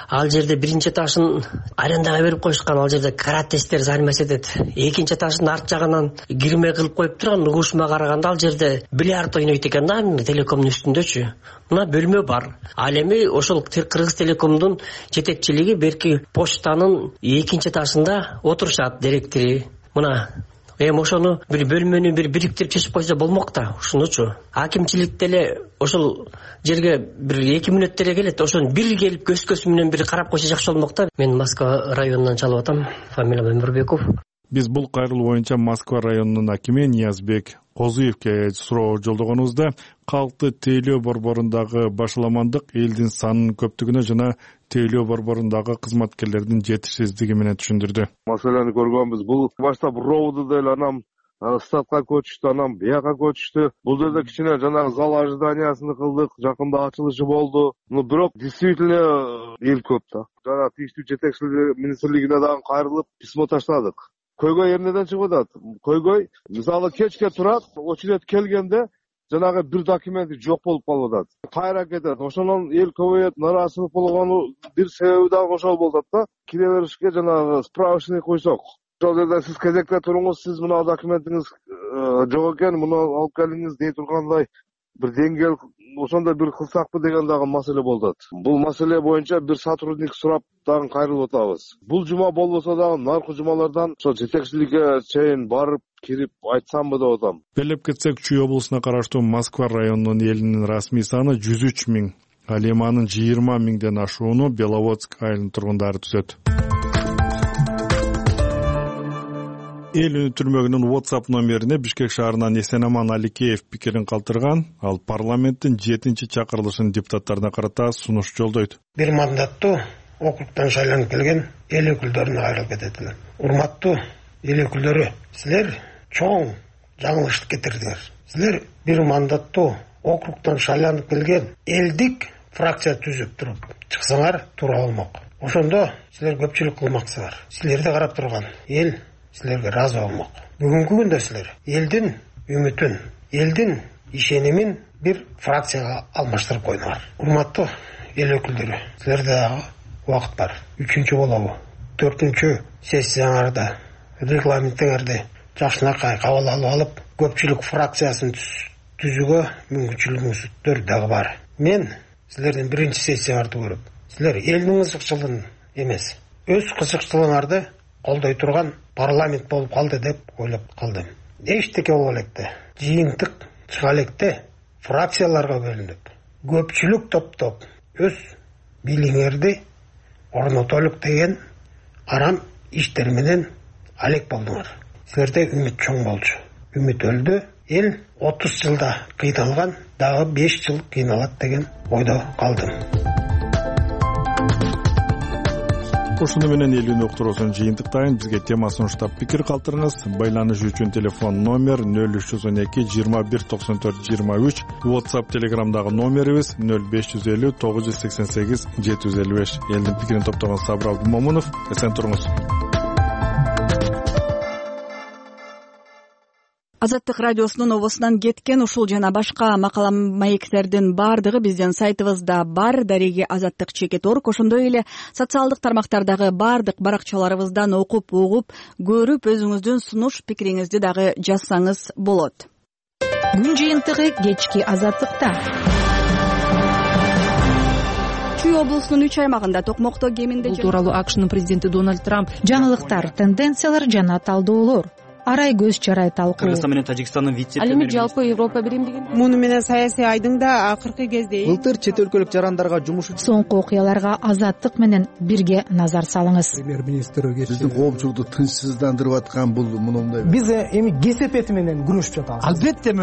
Ал жерде биринчи этажын арендага берип коюшкан. Ал жерде каратесттер заниматься этет. Экинчи этаждын арт жагынан кирме кылып коюп турган. Угушума караганда ал жерде бильярд ойнойт экен да, телекомдун үстүндөчү. Мына бөлмө бар. Ал эми ошол Кыргыз Телекомдун жетекчилиги берки почтанын экинчи этажында отурушат директори. Мына эми ошону бир бөлмөнү бириктирип чечип койсо болмок да, ушунучу. Акимчилик деле ошол жерге бир 2 мүнөт деле келет. Ошону бир келип көз менен бир карап койсо жакшы болмок да. Мен Москва районунан чалып атам. Фамилиям Өмүрбеков. Биз бул кайрылуу боюнча Москва районунун акими Ниязбек Козуевке суроо жолдогонубузда калкты тейлөө борборундагы башаламандык элдин санынын көптүгүнө жана тейлөө борборундагы кызматкерлердин жетишсиздиги менен түшүндүрдү. Маселени көргөнбүз. Бул баштап ровду деле анан статка көчүштү, анан бияка көчүштү. Бул жерде кичине жанагы зал ожиданиясын кылдык, жакында ачылышы болду. Бирок действительно эл көп да. Жана тийиштүү жетекчилик министрлигине дагы кайрылып письмо таштадык. Көйгөй эмнеден чыгып атат? Көйгөй мисалы кечке турат, очередь келгенде жанагы бир документи жок болуп калып атат. Кайра кетет. Ошондон эл көбөйөт, нааразычылык болгону бир себеби дагы ошол болуп атат да. Кире беришке жанагы справочный койсок. Ошол жерде сиз кезекте туруңуз, сиз мына документиңиз жок экен, муну алып келиңиз дей тургандай бир деңгэл ошондой бир кылсакпы деген дагы маселе болуп атат. Бул маселе боюнча бир сотрудник сурап дагы кайрылып атабыз. Бул жума болбосо дагы наркы жумалардан ошо жетекчиликке чейин барып кирип айтсамбы деп атам. Белеп кетсек, Чүй облусуна караштуу Москва районунун элинин расмий саны 103 000, ал эми анын 20 000ден ашууну Беловодск айылынын тургундары түзөт. Эл үнү түрмөгүнүн WhatsApp номерине Бишкек шаарынан Эсенаман Аликеев пикирин калтырган. Ал парламенттин 7-чи чакырылышын депутаттарына карата сунуш жолдойт. Бир мандаттуу округтан шайланып келген эл өкүлдөрүнө кайрылып кетет элем. Урматтуу эл өкүлдөрү, силер чоң жаңылыш кетирдиңер. Силер бир мандаттуу округтан шайланып келген элдик фракция түзүп туруп чыксаңар туура болмок. Ошондо силер көпчүлүк кылмаксыздар. Силерди карап турган эл силерге ыраазы болмок. Бүгүнкү күндө силер элдин үмүтүн, элдин ишенимин бир фракцияга алмаштырып койдуңар. Урматтуу эл өкүлдөрү, силерде дагы убакыт бар. 3-чү болобу, 4-чү сессияңарда регламентиңерди жакшынакай кабыл алып, көпчүлүк фракциясын түзүүгө мүмкүнчүлүгүңүздөр дагы бар. Мен силердин 1-чи сессияңарды көрүп, силер элдин кызыкчылыгын эмес, өз кызыкчылыгыңарды колдой турган парламент болуп калды деп ойлоп калдым. Эчтеке болбо электе, жыйынтык чыга электе фракцияларга бөлүнүп, көпчүлүк топтоп өз бийлигиңерди орнотолук деген арам иштер менен алек болдуңар. Силерде үмүт чоң болчу. Үмүт өлдү. Эл 30 жылда кыйналган, дагы 5 жыл кыйналат деген ойдо калдым. Ошону менен эл үнү уктуруусун жыйынтыктайын. Бизге тема сунуштап пикир калтырыңыз. Байланыш үчүн телефон номер 0312 21 94 23. WhatsApp, Telegramдагы номерибиз 0550 988 755. Элдин пикирин топтогон Сабыр Абдумомунов. Эсен туруңуз. Азаттык радиосунун обосунан кеткен ушул жана башка макала маектердин бардыгы биздин сайтыбызда бар. Дареги azattik.org. Ошондой эле социалдык тармактардагы бардык баракчаларыбыздан окуп, угуп, көрүп, өзүңүздүн сунуш пикириңизди дагы жазсаңыз болот. Күн жыйынтыгы кечки Азаттыкта. Чүй облусунун 3 аймагында токмокто кеминде бул тууралуу АКШнын президенти Дональд Трамп жаңылыктар, тенденциялар жана талдоолор арай көз чарай талкуу. Кыргызстан менен Тажикстандын Ал эми жалпы Европа биримдигин муну менен саясий айдың да акыркы кезде былтыр чет өлкөлүк жарандарга жумуш соңку окуяларга Азаттык менен бирге назар салыңыз. Премьер-министр биздин коомчулукту тынчсыздандырып аткан бул мындай. Биз эми кесепети менен күрөшүп жатабыз. Албетте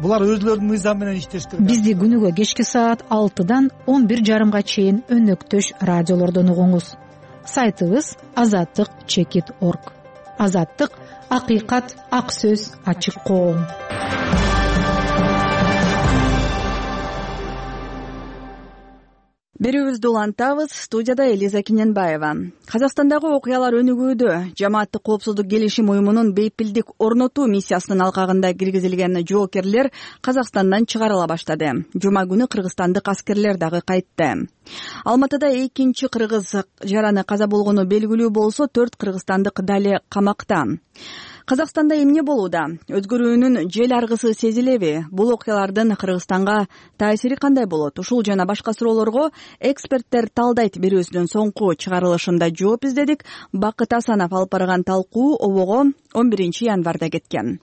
булар өзлөрүнүн мыйзамы менен иштеш керек. Бизди күнүгө кечки саат 6-дан 11:30 чейин өнөктөш радиолордон угуңуз. Сайтыбыз azattik.org. Азаттык — акыйкат, ак сөз, ачык коом. Берүүбүздү улантабыз. Студияда Элиза Кененбаева. Казакстандагы окуялар өнүгүүдө. Жамааттык коопсуздук келишим уюмунун бейпилдик орнотуу миссиясынын алкагында киргизилген жоокерлер Казакстандан чыгарыла баштады. Жума күнү кыргызстандык аскерлер дагы кайтты. Алматыда экинчи кыргыз жараны каза болгону белгилүү болсо, 4 кыргызстандык дали камакта. Казакстанда эмне болууда? Өзгөрүүнүн жел аргысы сезилеби? Бул окуялардын Кыргызстанга таасири кандай болот? Ушул жана башка суроолорго эксперттер талдайт берүүсүнүн соңку чыгарылышында жооп издедик. Бакыт Асанов алып барган талкуу обого 11 январда кеткен.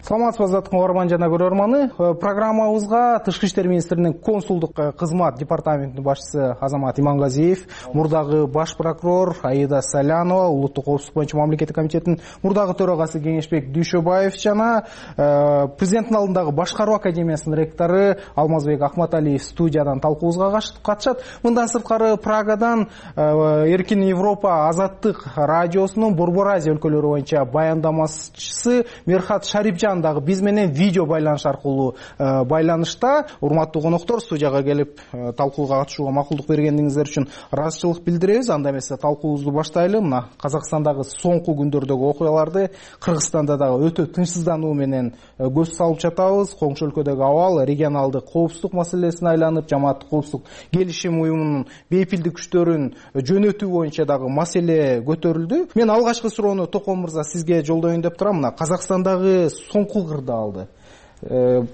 Саламатсызбы азаттык угарман жана көрөрманы. Программабызга Тышкы иштер министринин консулдук кызмат департаментинин башчысы Азамат Имангазиев, мурдагы баш прокурор Аида Салянова, улуттук коопсуздук боюнча мамлекеттик комитеттин мурдагы төрагасы Кеңешбек Дүйшөбаев жана президенттин алдындагы башкаруу академиясынын ректору Алмазбек Акматалиев студиядан талкуубузга катышат. Мындан сырткары Прагадан Эркин Европа азаттык радиосунун Борбор Азия өлкөлөрү боюнча баяндамачысы Мерхат Шарипжан дагы биз менен видео байланыш аркылуу байланышта. Урматтуу коноктор, студияга келип талкууга катышууга макулдук бергениңиздер үчүн ыраазычылык билдиребиз. Анда эмесе талкуубузду баштайлы. Мына Казакстандагы соңку күндөрдөгү окуяларды, Кыргызстанда дагы өтө тынчсыздануу менен көз салып жатабыз. Коңшу өлкөдөгү абал регионалдык коопсуздук маселесине айланып, жамааттык коопсуздук келишим уюмунун бейпилдик күчтөрүн жөнөтүү боюнча дагы маселе көтөрүлдү. Мен алгачкы суроону Токон мырза сизге жолдоюн деп турам. Мына Казакстандагы соңку кырдаалды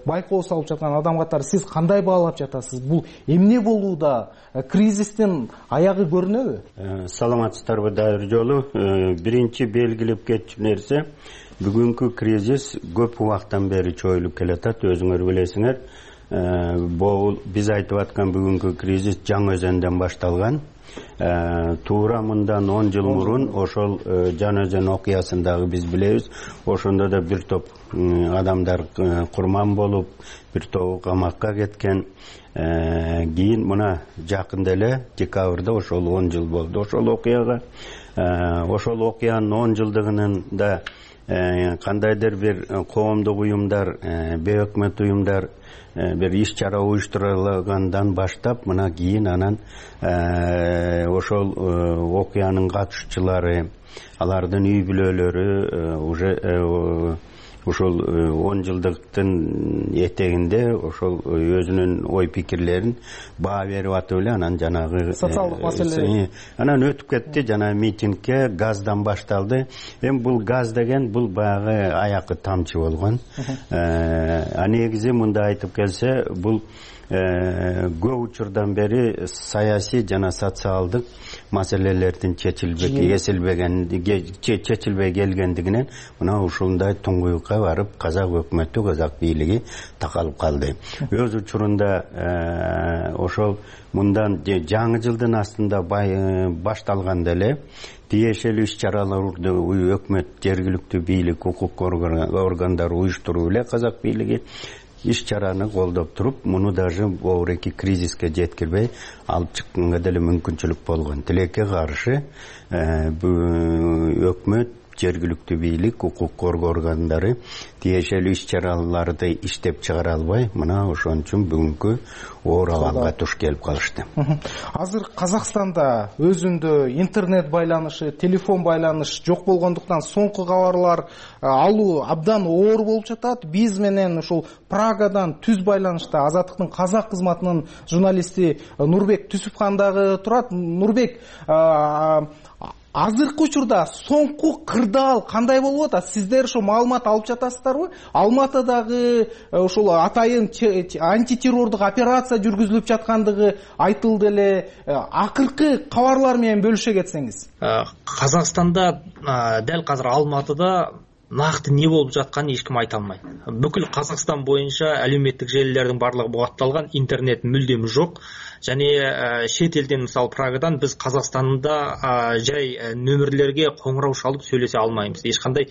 байкоо салып жаткан адам катары сиз кандай баалап жатасыз? Бул эмне болууда? Кризистин аягы көрүнөбү? Саламатсыздарбы дайыр жолу. Биринчи белгилеп кетчү нерсе, бүгүнкү кризис көп убактан бери чоюлуп келатат, өзүңөр билесиңер. Биз айтып аткан бүгүнкү кризис Жаңы Өзөндөн башталган. Туура мындан 10 жыл мурун ошол Жаңы Өзөн окуясын дагы биз билебиз. Ошондо да бир топ адамдар курман болуп, бир тобу камакка кеткен. Кийин мына жакында эле декабрда ошол 10 жыл болду ошол окуяга. Ошол окуянын 10 жылдыгынын да кандайдыр бир коомдук уюмдар, бейөкмөт уюмдар бир иш-чара уюштургандан баштап, мына кийин анан ошол окуянын катышуучулары, алардын үй бүлөлөрү уже ошол 10 жылдыктын этегинде ошол өзүнүн ой пикирлерин баа берип атып эле анан жанагы социалдык маселе анан өтүп кетти. Жана митингке газдан башталды. Эми бул газ деген бул баягы аякы тамчы болгон. Негизи мында айтып келсе, бул көп учурдан бери саясий жана социалдык маселелердин чечилбей келгендигинен мына ушундай туңгуюкка барып казак өкмөтү, казак бийлиги такалып калды. Өз учурунда ошол мындан жаңы жылдын астында башталганда эле тиешелүү иш-чараларды өкмөт, жергиликтүү бийлик, укук органдары уюштуруп эле казак бийлиги иш-чараны колдоп туруп, муну даже оореки кризиске жеткирбей алып чыкканга деле мүмкүнчүлүк болгон. Тилекке каршы өкмөт, жергиликтүү бийлик, укук коргоо органдары тиешелүү иш-чараларды иштеп чыгара албай, мына ошон үчүн бүгүнкү оор абалга туш келип калышты. Азыр Казакстанда өзүндө интернет байланышы, телефон байланыш жок болгондуктан соңку кабарлар алуу абдан оор болуп жатат. Биз менен ушул Прагадан түз байланышта азаттыктын казак кызматынын журналисти Нурбек Түсүпхан дагы турат. Нурбек, азыркы учурда соңку кырдаал кандай болуп атат? Сиздер ошо маалымат алып жатасыздарбы? Алматыдагы ошол атайын антитеррордук операция жүргүзүлүп жаткандыгы айтылды эле. Акыркы кабарлар менен бөлүшө кетсеңиз. Казакстанда дәл казыр Алматыда накты не болуп жатканын эч ким айта алмайт. Бүкүл Казакстан боюнча алюметтик желилердин барлыгы бугатталган, интернет мүлдем жок. Және шет елден, мисалы Прагадан біз Қазақстанда жай нөмірлерге қоңырау шалып сөйлесе алмаймыз. Ешқандай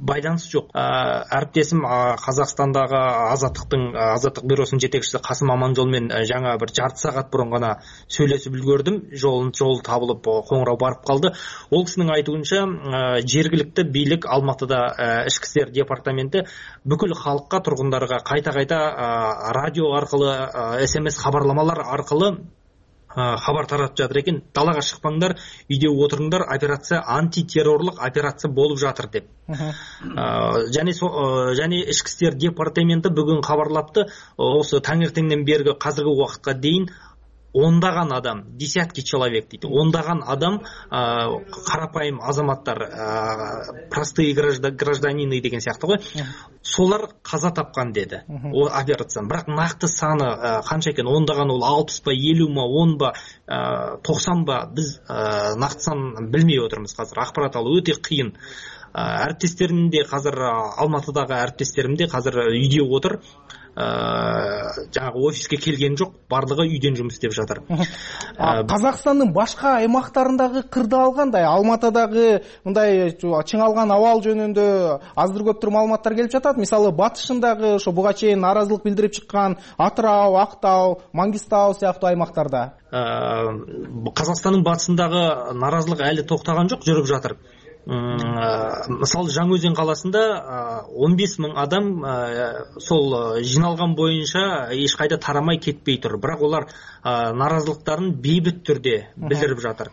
байланыш жок. Әріптесім Қазақстандагы Азаттык бюросунун жетекчиси Касым Аманжол менен жаңа бир жарты саат мурун гана сүйлөшүп үлгөрдүм. Жол табылып коңуроо барып калды. Ол кишинин айтуунча жергиликтүү бийлик Алматыда ички иштер департаменти бүкүл халыкка, тургундарга кайта радио аркылы, СМС кабарламалар аркылы хабар таратып жатыр экен. Далага чыкпаңдар, үйдө отуруңдар, операция антитеррорлук операция болуп жатыр деп. Және ички иштер департаменти бүгүн кабарлапты, осы таңертеңден берги казыркы убакытка дейин ондаган адам, десятки человек дейт, ондаган адам, карапайым азаматтар, простые гражданины деген сыяктуу го, солар каза тапкан деди о операциядан. Бирок накты саны канча экен, ондаган ол 60 ба, 50 ма, 10 ба, 90 ба, биз накты санын билмей отурмуз азыр. Акпарат алуу өтө кыйын. Әріптестерім де қазір, Алматыдағы әріптестерім де қазір үйде отыр, жаңағы офиске келген жоқ, барлығы үйден жұмыс істеп жатыр. Қазақстанның башқа аймақтарындағы кырдаал кандай? Алматыдағы мындай чыңалган абал жөнүндө аздыр көптүр маалыматтар келип жатат. Мисалы батышындагы ошо буга чейин наразылык билдирип чыккан Атырау, Актау, Маңгистау сыяктуу аймактарда. Қазақстанның батысындагы наразылык әлі токтогон жок, жүрүп жатыр. Мисалы Жаңаөзен қаласында 15 000 адам сол жиналған бойынша еш қайда тарамай кетпей тұр. Бірақ олар наразылықтарын бейбіт түрде білдіріп жатыр.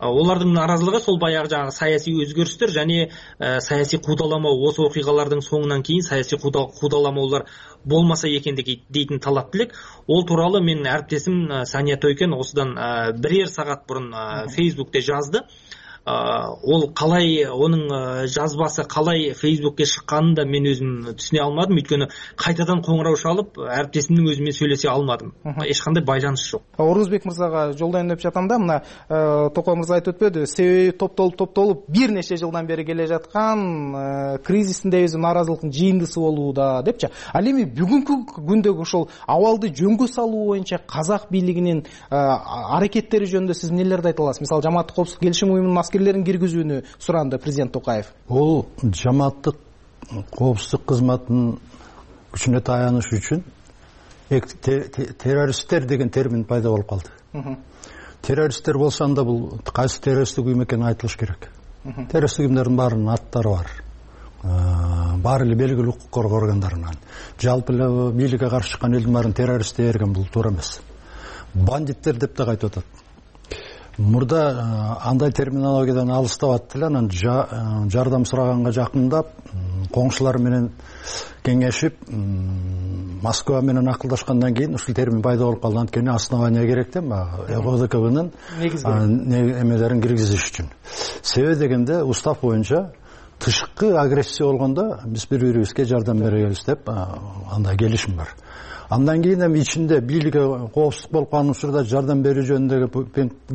Олардың наразылығы сол баяғы жаңағы саяси өзгерістер және саяси қудалама, осы оқиғалардың соңынан кейін саяси қудалама болмаса екендігі дейтін талап тілек. Ол туралы мен әріптесім Сания Тойкен осыдан бірер сағат бұрын Фейсбукте жазды. Ол қалай, оның жазбасы қалай Фейсбукке шыққанын да мен өзім түсіне алмадым, өйткені қайтадан қоңырау шалып, әріптесімнің өзімен сөйлесе алмадым. Ешқандай байланыс жоқ. Орузбек мырзаға жолдайын деп жатам да, мына Токой мырза айтып өтпөдү, себеби топтолуп бир нече жылдан бери келе жаткан кризистин өзү наразылыктын жыйындысы болууда депчи. Ал эми бүгүнкү күндөгү ошол абалды жөнгө салуу боюнча казак бийлигинин аракеттери жөнүндө сиз нелерди айта аласыз? Мисалы, Жамааттык коопсуздук келишим уюмунун аскерлерин киргизүүнү суранды президент Токаев. Ол жамааттык коопсуздук кызматынын күчүнө таяныш үчүн террористтер деген термин пайда болуп калды. Террористтер болсо анда бул кайсы террористтик уюм экени айтылыш керек. Террористтик уюмдардын баарынын аттары бар. Баары эле белгилүү укук коргоо органдарынан. Жалпы эле бийликке каршы чыккан элдин баарын террорист дей берген бул туура эмес. Бандиттер деп да айтып атат. Мурда андай терминологиядан алыстап аттылар, анан жардам сураганга жакындап, коңшулар менен кеңешип, Москва менен акылдашкандан кийин ушул термин пайда болуп калды. Анткени основания керек да, ОДКБнын эмелерин киргизиш үчүн. Себеби дегенде устав боюнча тышкы агрессия болгондо биз бири-бирибизге жардам беребиз деп андай келишим бар. Андан кийин эми ичинде бийликке коопсуздук болуп калган учурда жардам берүү жөнүндөгү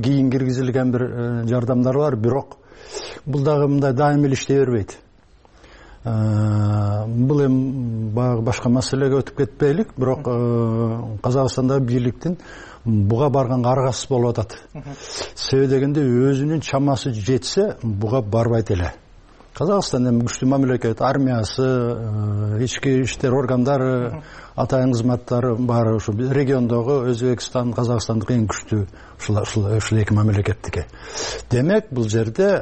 кийин киргизилген бир жардамдар бар, бирок бул дагы мындай дайым эле иштей бербейт. Бул эми башка маселеге өтүп кетпейлик, бирок Казакстандагы бийликтин буга барганга аргасыз болуп атат. Себеби дегенде өзүнүн чамасы жетсе буга барбайт эле. Казакстан эми күчтүү мамлекет, армиясы, ички иштер органдары, атайын кызматтары бар, ушу региондогу Өзбекстан, Казакстандык эң күчтүү ушул эки мамлекеттики. Демек, бул жерде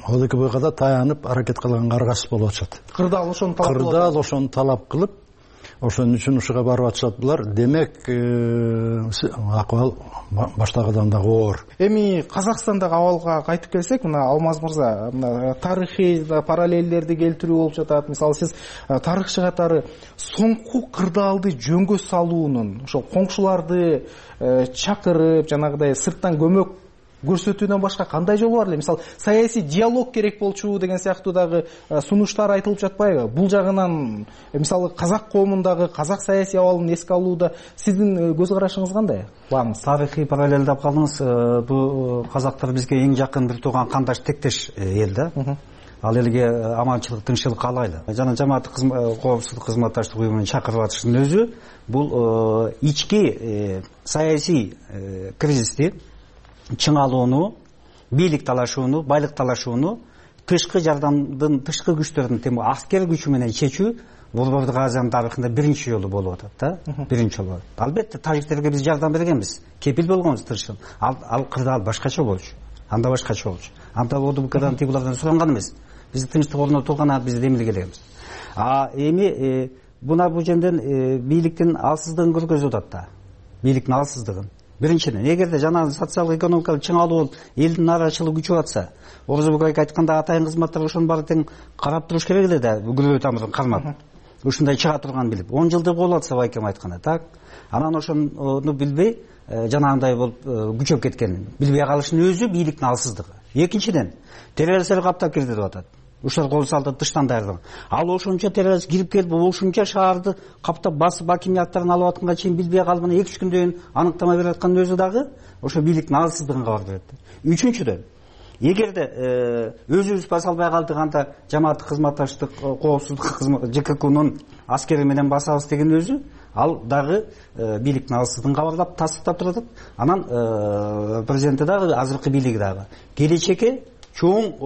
ОДКБга да таянып аракет кылганга аргасыз болуп атышат. Кырдаал ошону талап кылып, ошон үчүн ушуга барып атышат булар. Демек, акыбал баштагыдан дагы оор. Эми Казакстандагы абалга кайтып келсек, мына Алмаз мырза, мына тарыхый параллелдерди келтирүү болуп жатат. Мисалы, сиз тарыхчы катары соңку кырдаалды жөнгө салуунун, ошол коңшуларды чакырып, жанагыдай сырттан көмөк көрсөтүүдөн башка кандай жол бар эле? Мисалы, саясий диалог керек болчу деген сыяктуу дагы сунуштар айтылып жатпайбы? Бул жагынан, мисалы, казак коомундагы казак саясий абалын эске алууда сиздин көз карашыңыз кандай? Баңыз тарыхый параллель деп калдыңыз. Бул казактар бизге эң жакын бир тууган кандаш тектеш эл да. Ал элге аманчылык, тынччылык каалайлы. Жана жамааттык коопсуздук кызматташтык уюмунун чакырып атышынын өзү бул ички саясий кризисти чыңалууну, бийлик талашууну, байлык талашууну тышкы жардамдын, тышкы күчтөрдүн тем аскер күчү менен чечүү Борбордук Азиянын тарыхында биринчи жолу болуп атат да, биринчи жолу. Албетте тажиктерге биз жардам бергенбиз, кепил болгонбуз тырышып. Ал кырдаал башкача болчу, анда башкача болчу. Анда ОДКдан тибулардан суранган эмес. Биз тынчтык орнотулган биз демилге элегенбиз. Эми бул жерден бийликтин алсыздыгын көргөзүп атат да. Бийликтин алсыздыгын. Биринчиден, эгерде жанагы социалдык экономикалык чыңалуу болуп, элдин нааразычылыгы күчүп атса, Орзобек айтканда атайын кызматтар ошонун баары тең карап туруш керек эле да, күлөө тамырын кармап. Ушундай чыга турганын билип, 10 жылдык болуп атса байкем айтканда, так. Анан ошону билбей, жанагындай болуп күчөп кеткенин, билбей калышынын өзү бийликтин алсыздыгы. Экинчиден, террористтер каптап кирди деп атат. Ушул кол салды тыштан даярдыгы. Ал ошончо террорист кирип келип, ошончо шаарды каптап басып, акимияттарын алып атканга чейин билбей калып, 2-3 күндөн кийин аныктама берип аткандын өзү дагы ошо бийликтин алсыздыгын кабар берет. Үчүнчүдөн, эгерде өзүбүз баса албай калдык, анда жамааттык кызматташтык коопсуздук кызматы ЖККнун аскери менен басабыз деген өзү ал дагы бийликтин алсыздыгын кабарлап тастыктап турат. Анан президенти дагы, азыркы бийлиги дагы келечекке чоң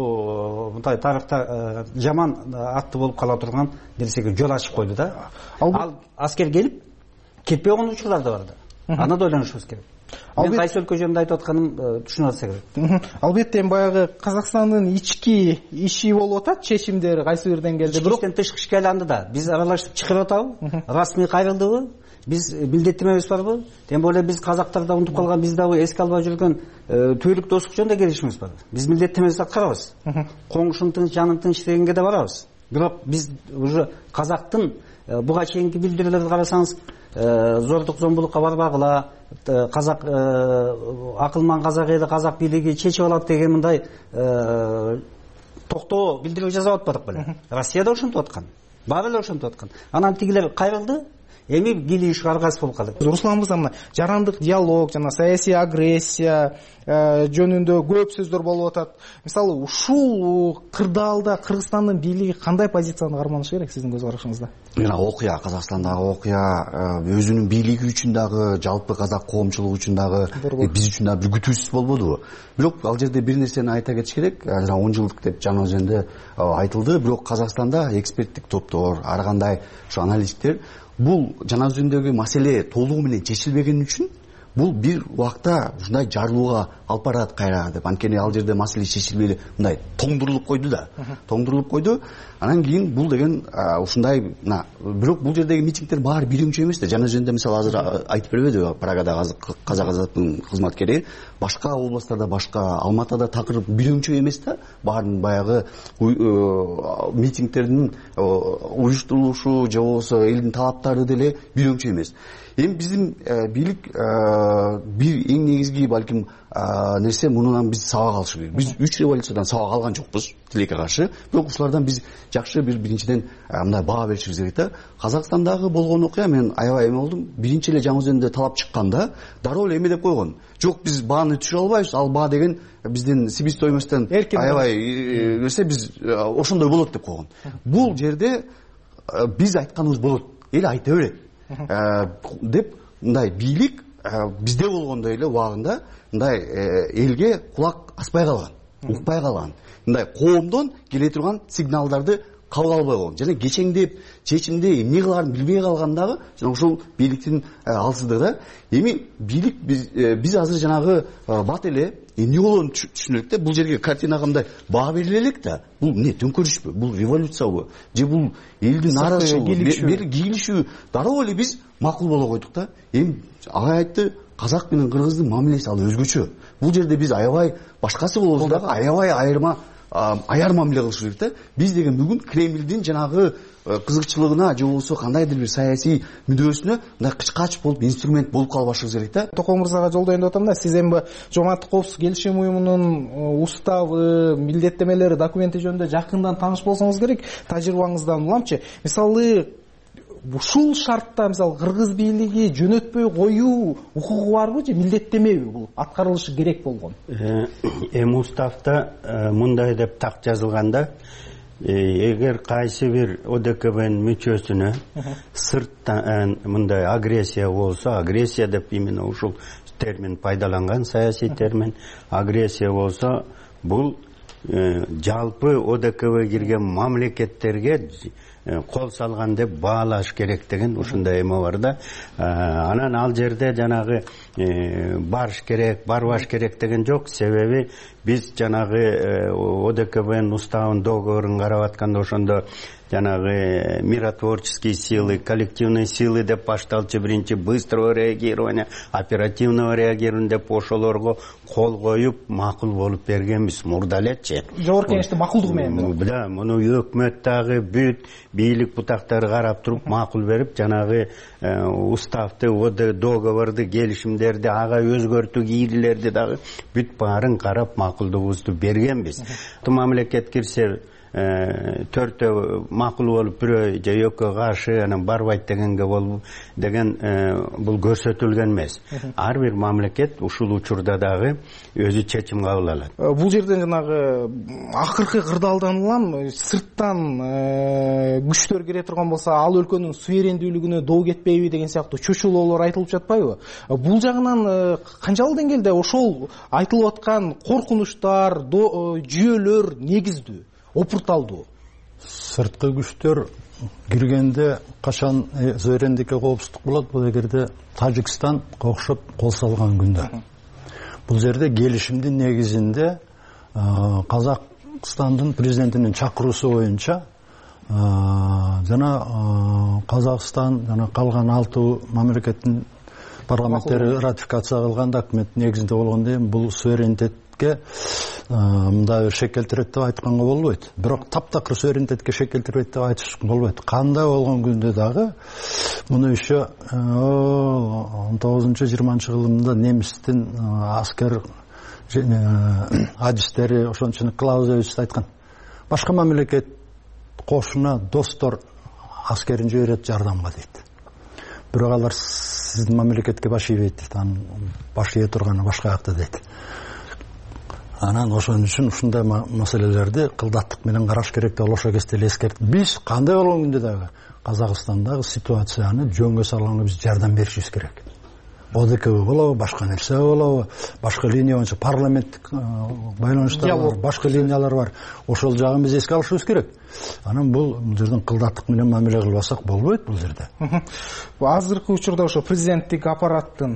мындай тарыхта жаман аттуу болуп кала турган нерсеге жол ачып койду да. Ал аскер келип кетпей койгон учурлар да бар да. Аны да ойлонушубуз керек. Мен кайсы өлкө жөнүндө айтып атканым түшүнүп атса керек. Албетте баягы Казакстандын ички иши болуп атат, чечимдер кайсы бир деңгээлде. Бирок тышкы ишке айланды да. Биз аралашып чыгарып атабы? Расмий кайрылдыбы? Биз милдеттемебиз барбы? Тем более биз казактар да унутуп калган, биз дагы эске албай жүргөн түбөлүк достук жөнүндө келишимиз бар. Биз милдеттемебизди аткарабыз. Коңшунун тынч, жанын тынч дегенге да барабыз. Бирок биз уже казактын буга чейинки билдирүүлөрдү карасаңыз, зордук зомбулукка барбагыла, казак акылман казак эли, казак бийлиги чечип алат деген мындай токтоо билдирүү жасап атпадык беле. Россия да ошентип аткан, баары эле ошентип аткан. Анан тигилер кайрылды, эми килиш аргасы болуп калды. Руслан мырза, мына жарандык диалог жана саясий агрессия жөнүндө көп сөздөр болуп атат. Мисалы, ушул кырдаалда Кыргызстандын бийлиги кандай позицияны карманышы керек сиздин көз карашыңызда? Окуя, Казакстандагы окуя өзүнүн бийлиги үчүн дагы, жалпы казак коомчулугу үчүн дагы, биз үчүн дагы бир күтүүсүз болбодубу? Бирок ал жерде бир нерсени айта кетиш керек. 10 жылдык деп жана өзүндө айтылды, бирок Казакстанда эксперттик топтор, ар кандай ушу аналитиктер бул жана өзүндөгү маселе толугу менен чечилбеген үчүн бул бир убакта ушундай жарылууга алып барат кайра деп. Анткени ал жерде маселе чечилбей мындай тоңдурулуп койду да. Тоңдурулуп койду. Анан кийин бул деген ушундай, бирок бул жердеги митингдер баары биринчи эмес да. Жана өзүндө мисалы азыр айтып бербедиби, Прагадагы казак азаттын кызматкери, башка областтарда, башка Алматада такырып биринчи эмес да. Баарын баягы митингдердин уюштурулушу же болбосо элдин талаптары деле биринчи эмес. Эми биздин бийлик бир эң негизги балким нерсе, мунунан биз сабак алыш керек. Биз 3 революциядан сабак алган жокпуз тилекке каршы. Бирок ушулардан биз жакшы биринчиден мындай баа беришибиз керек да. Казакстандагы болгон окуя, мен аябай эме болдум. Биринчи эле жаңы өзүндө талап чыкканда дароо эле эме деп койгон. Жок, биз бааны түшүрө албайбыз. Ал баа деген биздин себестоимостьтон аябай нерсе, биз ошондой болот деп койгон. Бул жерде биз айтканыбыз болот, эл айта берет деп мындай бийлик бизде болгондой эле убагында мындай элге кулак аспай калган, укпай калган, мындай коомдон келе турган сигналдарды кабыл албай койгон. Жана кечеңдеп, чечимде эмне кылаарын билбей калгандагы жана ушул бийликтин алсыздыгы да. Эми бийлик биз азыр жанагы бат эле эмне болгонун түшүнөлүк да. Бул жерге картинага мындай баа бериле элек да. Бул эмне, төңкөрүшпү, бул революциябы же бул элдин нааразычылыгы, кийлишүү, дароо эле биз макул боло койдук да. Эми агай айтты, казак менен кыргыздын мамилеси ал өзгөчө. Бул жерде биз аябай башкасы болбосо дагы аябай аяр мамиле кылыш керек да. Биз деген бүгүн Кремлдин жанагы кызыкчылыгына же болбосо кандайдыр бир саясий мүдөөсүнө мындай кычкач болуп, инструмент болуп калбашыбыз керек да. Током мырзага жолдоюн деп атам да. Сиз эми Жооматтык коопсуздук келишим уюмунун уставы, милдеттемелери, документи жөнүндө жакындан тааныш болсоңуз керек. Тажрыйбаңыздан уламчы. Мисалы, ушул шартта мисалы кыргыз бийлиги жөнөтпөй коюу укугу барбы же милдеттемеби, бул аткарылышы керек болгон? Эми уставда мындай деп так жазылганда, эгер кайсы бир ОДКБнын мүчөсүнө сырттан мындай агрессия болсо, агрессия деп именно ушул термин пайдаланган, саясий термин, агрессия болсо, бул жалпы ОДКБ кирген мамлекеттерге кол салган деп баалаш керек деген ушундай эме бар да. Анан ал жерде жанагы барыш керек, барбаш керек деген жок. Себеби биз жанагы ОДКБнын уставын, договорун карап атканда ошондо жанагы миротворческие силы, коллективные силы деп башталчу, биринчи быстрого реагирования, оперативного реагирования деп ошолорго кол коюп макул болуп бергенбиз мурда элечи. Жогорку Кеңеште макулдугу менен. Да, муну өкмөт дагы бүт бийлик бутактары карап туруп макул берип, жанагы уставды, договорду, келишимдерди, ага өзгөртүү кийлерди дагы бүт баарын карап макулдугубузду бергенбиз. Мамлекет кирсе төртөө макул болуп, бирөө же экөө каршы, анан барбайт дегенге болуп деген бул көрсөтүлгөн эмес. Ар бир мамлекет ушул учурда дагы өзү чечим кабыл алат. Бул жерден жанагы акыркы кырдаалдан улам сырттан күчтөр кире турган болсо, ал өлкөнүн суверендүүлүгүнө доо кетпейби деген сыяктуу чочулоолор айтылып жатпайбы? Бул жагынан канчалык деңгээлде ошол айтылып аткан коркунучтар, жүйөлөр негиздүү, опурталдуу? Сырткы күчтөр киргенде качан суверендикке коопсуздук болот? Бул эгерде Тажикстан окшоп кол салган күндө. Бул жерде келишимдин негизинде Казакстандын президентинин чакыруусу боюнча жана Казакстан жана калган 6 мамлекеттин парламенттери ратификация кылган документ негизинде болгондон кийин бул суверенитетке мындай шек келтирет деп айтканга болбойт. Бирок таптакыр суверенитетке шек келтирбейт деп айтыш болбойт. Кандай болгон күндө дагы муну еще 19-20 жылында немистин аскер адистери ошончо Клаузевич айткан. Башка мамлекет кошуна достор аскерин жиберет жардамга дейт. Бирок алар сиздин мамлекетке баш ийбейт дейт. Анын баш ийе турганы башка жакта дейт. Анан ошон үчүн ушундай маселелерди кылдаттык менен караш керек деп ошо кезде эле эскертти. Биз кандай болгон күндө дагы Казакстандагы ситуацияны жөнгө салганга биз жардам беришибиз керек. ОДКБ болобу, башка нерсе болобу, башка линия боюнча парламенттик байланыштар бар, башка линиялар бар. Ошол жагын биз эске алышыбыз керек. Анан бул жерден кылдаттык менен мамиле кылбасак болбойт бул жерде. Азыркы учурда ошо президенттик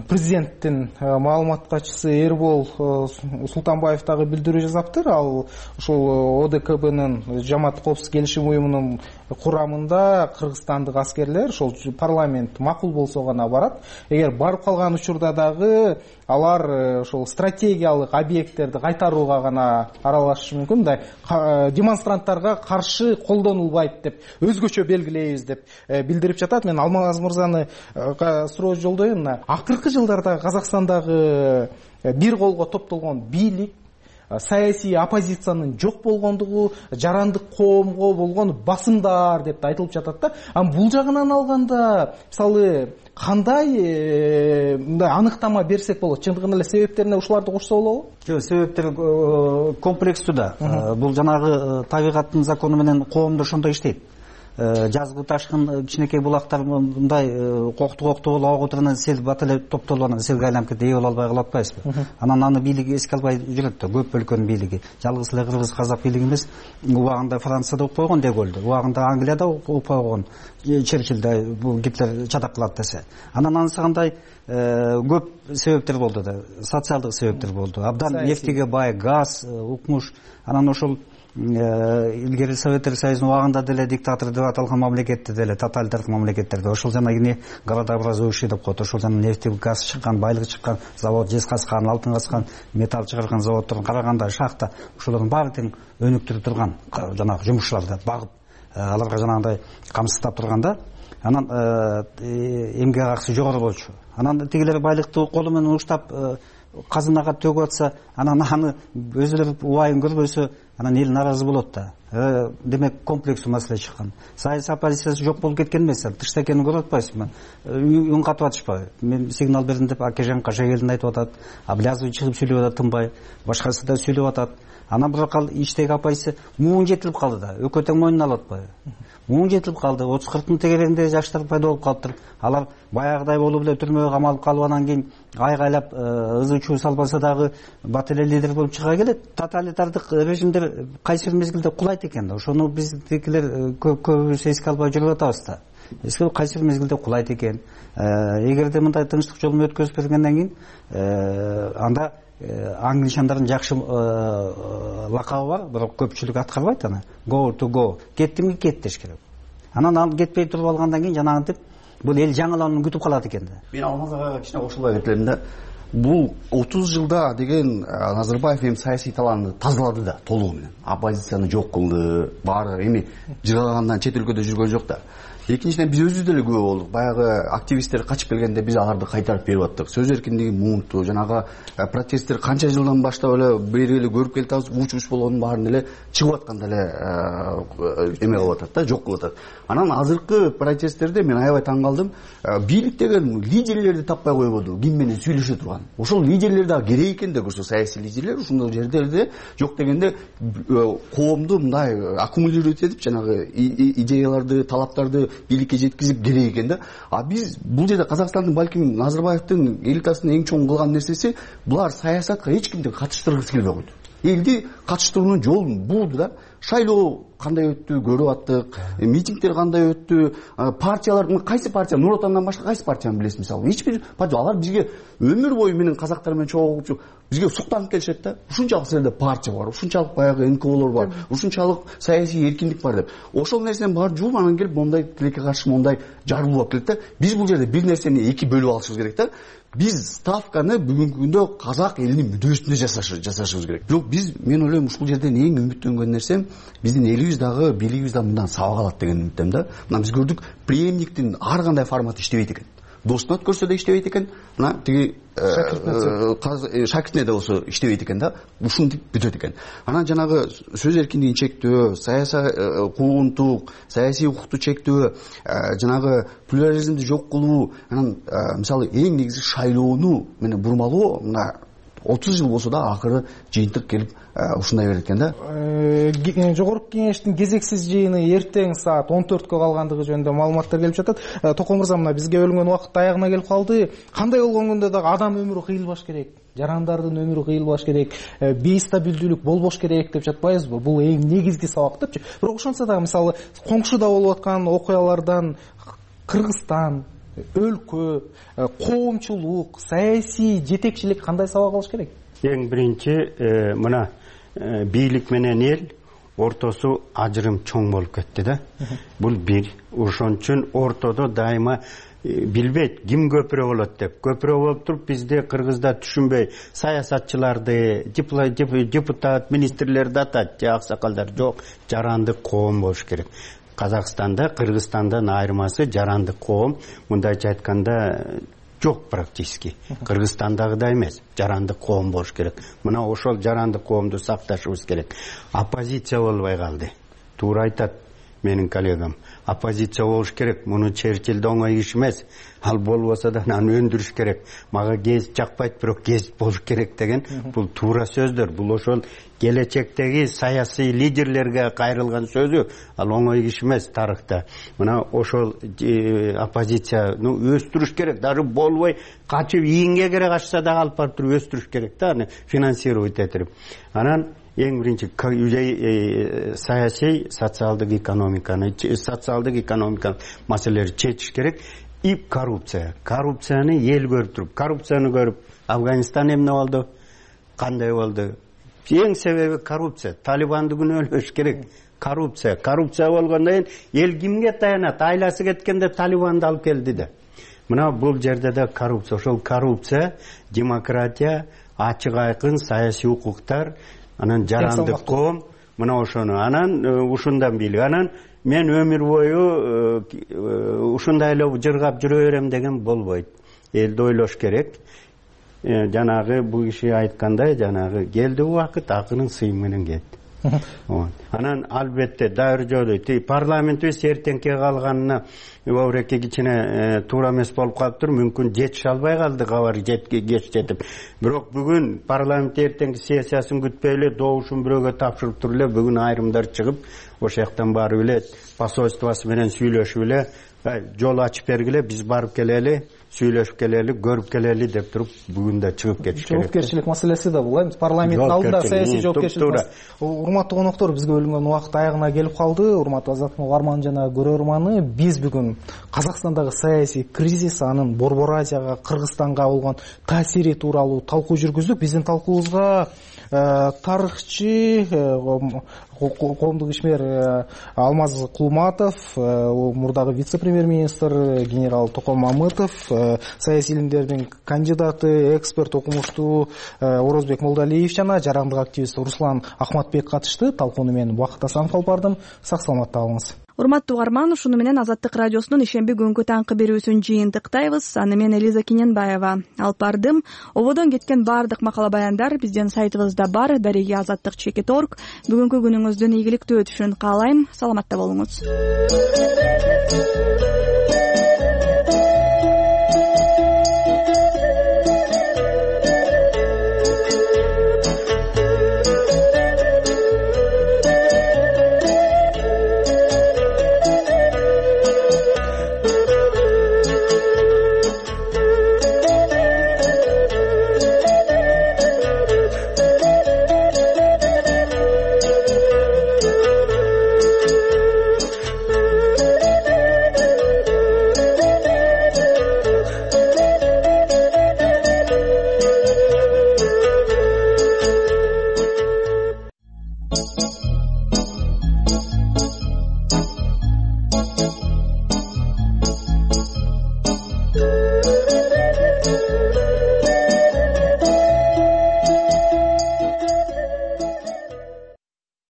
президенттин маалымат катчысы Эрбол Султанбаев дагы билдирүү жазаптыр. Ал ошол ОДКБнын жамаат коопсуздук келишим уюмунун курамында кыргызстандык аскерлер ошол парламент макул болсо гана барат. Эгер барып калган учурда дагы алар ошол стратегиялык объекттерди кайтарууга гана аралашышы мүмкүн. Мындай демонстранттарга каршы колдонулбайт деп, өзгөчө белгилейбиз деп билдирип жатат. Мен Алмаз мырзаны суроо жолдойм. Акыркы жылдарда Казакстандагы бир колго топтолгон бийлик, саясий оппозициянын жок болгондугу, жарандык коомго болгон басымдар деп айтылып жатат да. Бул жагынан алганда, мисалы, кандай мындай аныктама берсек болот? Чындыгында эле себептерине ушуларды кошсо болобу? Жок, себептер комплекстүү да. Бул жанагы табигаттын закону менен коомдо ошондой иштейт. Жазгы ташкын кичинекей булактар мындай кокту болуп агып отургандан сел бат эле топтолуп анан селге айланып кетип ээ боло албай калып атпайбызбы? Анан аны бийлиги эске албай жүрөт да, көп өлкөнүн бийлиги. Жалгыз эле кыргыз казак бийлиги эмес, убагында Францияда угуп койгон Деголду, убагында Англияда угуп койгон Черчилль, бул Гитлер чатак кылат десе. Анан анысыгандай көп себептер болду да, социалдык себептер болду. Абдан нефтиге бай, газ, укмуш. Анан ошол илгери Советтер Союзунун убагында деле диктатор деп аталган мамлекетте деле, тоталитардык мамлекеттерде ошол жанагы городообразующий деп коет. Ошол жана нефти, газ чыккан, байлык чыккан завод, жез казкан, алтын казкан, металл чыгарган заводдордун караганда шахта, ошолордун баары тең өнүктүрүп турган жанагы жумушчуларды багып, аларга жанагындай камсыздап турганда, анан эмгек акысы жогору болчу. Анан тигилер байлыкты колу менен уштап казынага төгүп атса, анан аны өзүлөрү убайын көрбөсө, анан эл наразы болот да. Демек комплекстүү маселе чыккан. Саясий оппозициясы жок болуп кеткен эмес, тышта экенин көрүп атпайсызбы? Үн катып атышпайбы? Мен сигнал бердим деп Акежан Кашагелдин айтып атат, Аблязов чыгып сүйлөп атат тынбай, башкасы да сүйлөп атат. анан бирок ал иштеги апайсы муун жетилип калды да, экөө тең мойнуна алып атпайбы? Муун жетилип калды, 30-40 миң тегерегинде жаштар пайда болуп калыптыр. Алар баягыдай болуп эле түрмөгө камалып калып, анан кийин айгайлап ызы чуу салбаса дагы бат эле лидер болуп чыга келет. Тоталитардык режимдер кайсы бир мезгилде кулайт экен да. Ошону биздикилер көбүбүз эске албай жүрүп атабыз да. Кайсы бир мезгилде кулайт экен. Эгерде мындай тынчтык жолу менен өткөзүп бергенден кийин анда англичандардын жакшы лакабы бар, бирок көпчүлүк аткарбайт аны. Go to go. Кеттимги кет деш керек. Анан ал кетпей туруп алгандан кийин жанагынтип бул эл жаңыланууну күтүп калат экен да. Мен Алмаз агайга кичине кошулбай кетелим да. Бул 30 жылда деген Назарбаев эми саясий талааны тазалады да толугу менен. Оппозицияны жок кылды, баары эми жыргагандан чет өлкөдө жүргөн жок да. Экинчиден биз өзүбүз деле күбө болдук. Баягы активисттер качып келгенде биз аларды кайтарып берип аттык. Сөз эркиндиги муунту, жанагы протесттер канча жылдан баштап эле бери эле көрүп келатабыз, уч болгонун баарын эле чыгып атканда эле эме кылып атат да, жок кылып атат. Анан азыркы протесттерде мен аябай таң калдым. Бийлик деген лидерлерди таппай койбоду, ким менен сүйлөшө турган. Ошол лидерлер да керек экен да көрсө, саясий лидерлер ушундой жерлерде жок дегенде коомду мындай аккумулировать этип жанагы идеяларды, талаптарды бийликке жеткизип керек экен да. А биз бул жерде Казакстандын балким Назарбаевдин элитасынын эң чоң кылган нерсеси булар саясатка эч кимди катыштыргысы келбей койду. Элди катыштыруунун жолун булду да. Шайлоо кандай өттү көрүп аттык, митингдер кандай өттү, партиялар кайсы партия, Нур Отандан башка кайсы партияны билесиз мисалы? Эч бир партия, алар бизге өмүр бою менен казактар менен чогулуп бизге суктанып келишет да. Ушунчалык силерде партия бар, ушунчалык баягы НКОлор бар, ушунчалык саясий эркиндик бар деп. Ошол нерсени баары жууп анан келип мондай тилекке каршы мондай жаргуу болуп келет да. Биз бул жерде бир нерсени эки бөлүп алышыбыз керек да. Биз ставканы бүгүнкү күндө казак элинин мүддөсүнө жасашыбыз керек. Бирок мен ойлойм ушул жерден эң үмүттөнгөн нерсем биздин элибиз дагы бийлигибиз дагы мындан сабак алат деген үмүттөм да. Мына биз көрдүк, преемниктин ар кандай форматы иштебейт экен. Достуна өткөрсө да иштебейт экен, мына тиги шакиртине да болсо иштебейт экен да. Ушинтип бүтөт экен. Анан жанагы сөз эркиндигин чектөө, саясий куугунтук, саясий укукту чектөө, жанагы плюрализмди жок кылуу, анан мисалы эң негизи шайлоону менен бурмалоо, мына 30 жыл болсо да акыры жыйынтык келип ушундай берет экен да. Жогорку кеңештин кезексиз жыйыны эртең саат 14кө калгандыгы жөнүндө маалыматтар келип жатат. Токон мырза, мына бизге бөлүнгөн убакыт аягына келип калды. Кандай болгон күндө дагы адам өмүрү кыйылбаш керек, жарандардын өмүрү кыйылбаш керек, бейстабилдүүлүк болбош керек деп жатпайбызбы? Бул эң негизги сабак депчи. Бирок ошонсо дагы мисалы коңшуда болуп аткан окуялардан Кыргызстан, өлкө, коомчулук, саясий жетекчилик кандай сабак алыш керек? Эң биринчи мына бийлик менен эл ортосу ажырым чоң болуп кетти да. Бул бир. Ошон үчүн ортодо дайыма билбейт ким көпүрө болот деп. Көпүрө болуп туруп бизде Кыргызда түшүнбөй саясатчыларды, депутат, министрлерди атат, аксакалдар жок, жарандык коом болуш керек. Казакстанда, Кыргызстандан айырмасы жарандык коом, мындайча айтканда жок практически. Кыргызстандагыдай эмес, жарандык коом болуш керек. Мына ошол жарандык коомду сакташыбыз керек. Оппозиция болбой калды. Туура айтат менин коллегам. Оппозиция болуш керек. Муну Черчилль оңой иш эмес. Ал болбосо да аны өндүрүш керек. Мага гезит жакпайт, бирок гезит болуш керек деген бул туура сөздөр. Бул ошол келечектеги саясий лидерлерге кайрылган сөзү. Ал оңой иш эмес тарыхта. Мына ошол оппозицияны өстүрүш керек. Даже болбой качып ийинге керек ачса да алып барып туруп өстүрүш керек да, аны финансировать этип. Анан эң биринчи саясий, социалдык экономиканы маселелерди чечиш керек. И коррупция. Коррупцияны эл көрүп туруп, коррупцияны көрүп, Афганистан эмне болду? Кандай болду? Эң себеби коррупция. Талибанды күнөөлөш керек. Коррупция болгондон кийин эл кимге таянат? Айласы кеткенде Талибанды алып келди да. Мына бул жерде да коррупция. Ошол коррупция, демократия, ачык айкын саясий укуктар, анан жарандык коом, мына ошону анан ушундан бийлик. Анан мен өмүр бою ушундай эле жыргап жүрө берем деген болбойт. Элди ойлош керек. Жанагы бул киши айткандай, жанагы келди убакыт акынын сыйы менен кетти. Анан албетте дайыр жолу парламентибиз эртеңке калганына обереке кичине туура эмес болуп калыптыр. Мүмкүн жетише албай калды, кабар кеч жетип. Бирок бүгүн парламент эртеңки сессиясын күтпөй эле добушун бирөөгө тапшырып туруп эле бүгүн айрымдар чыгып ошол жактан барып эле посольствосу менен сүйлөшүп эле жол ачып бергиле, биз барып келели, сүйлөшүп келели, көрүп келели деп туруп бүгүн да чыгып кетиш керек. Жоопкерчилик маселеси да бул, парламенттин алдында саясий жоопкерчилик. Урматтуу коноктору, бизге бөлүнгөн убакыт аягына келип калды. Урматтуу Азаттык угарман жана көрөрманы, биз бүгүн Казакстандагы саясий кризис, анын Борбор Азияга, Кыргызстанга болгон таасири тууралуу талкуу жүргүздүк. Биздин талкуубузга тарыхчы, коомдук ишмер Алмаз Кулматов, мурдагы вице-премьер-министр генерал Токон Мамытов, саясий илимдердин кандидаты, эксперт, окумуштуу Орозбек Молдалиев жана жарандык активист Руслан Ахматбек катышты. Талкууну мен Убакыт Асанов алып бардым. Сак саламатта калыңыз. Урматтуу угарман, ушуну менен Азаттык радиосунун ишемби күнгү таңкы берүүсүн жыйынтыктайбыз. Аны мен Элиза Киненбаева алып бардым. Ободон кеткен баардык макала баяндар биздин сайтыбызда бар. Дареги azаттык.org. Бүгүнкү күнүңүздүн ийгиликтүү өтүшүн каалайм. Саламатта болуңуз.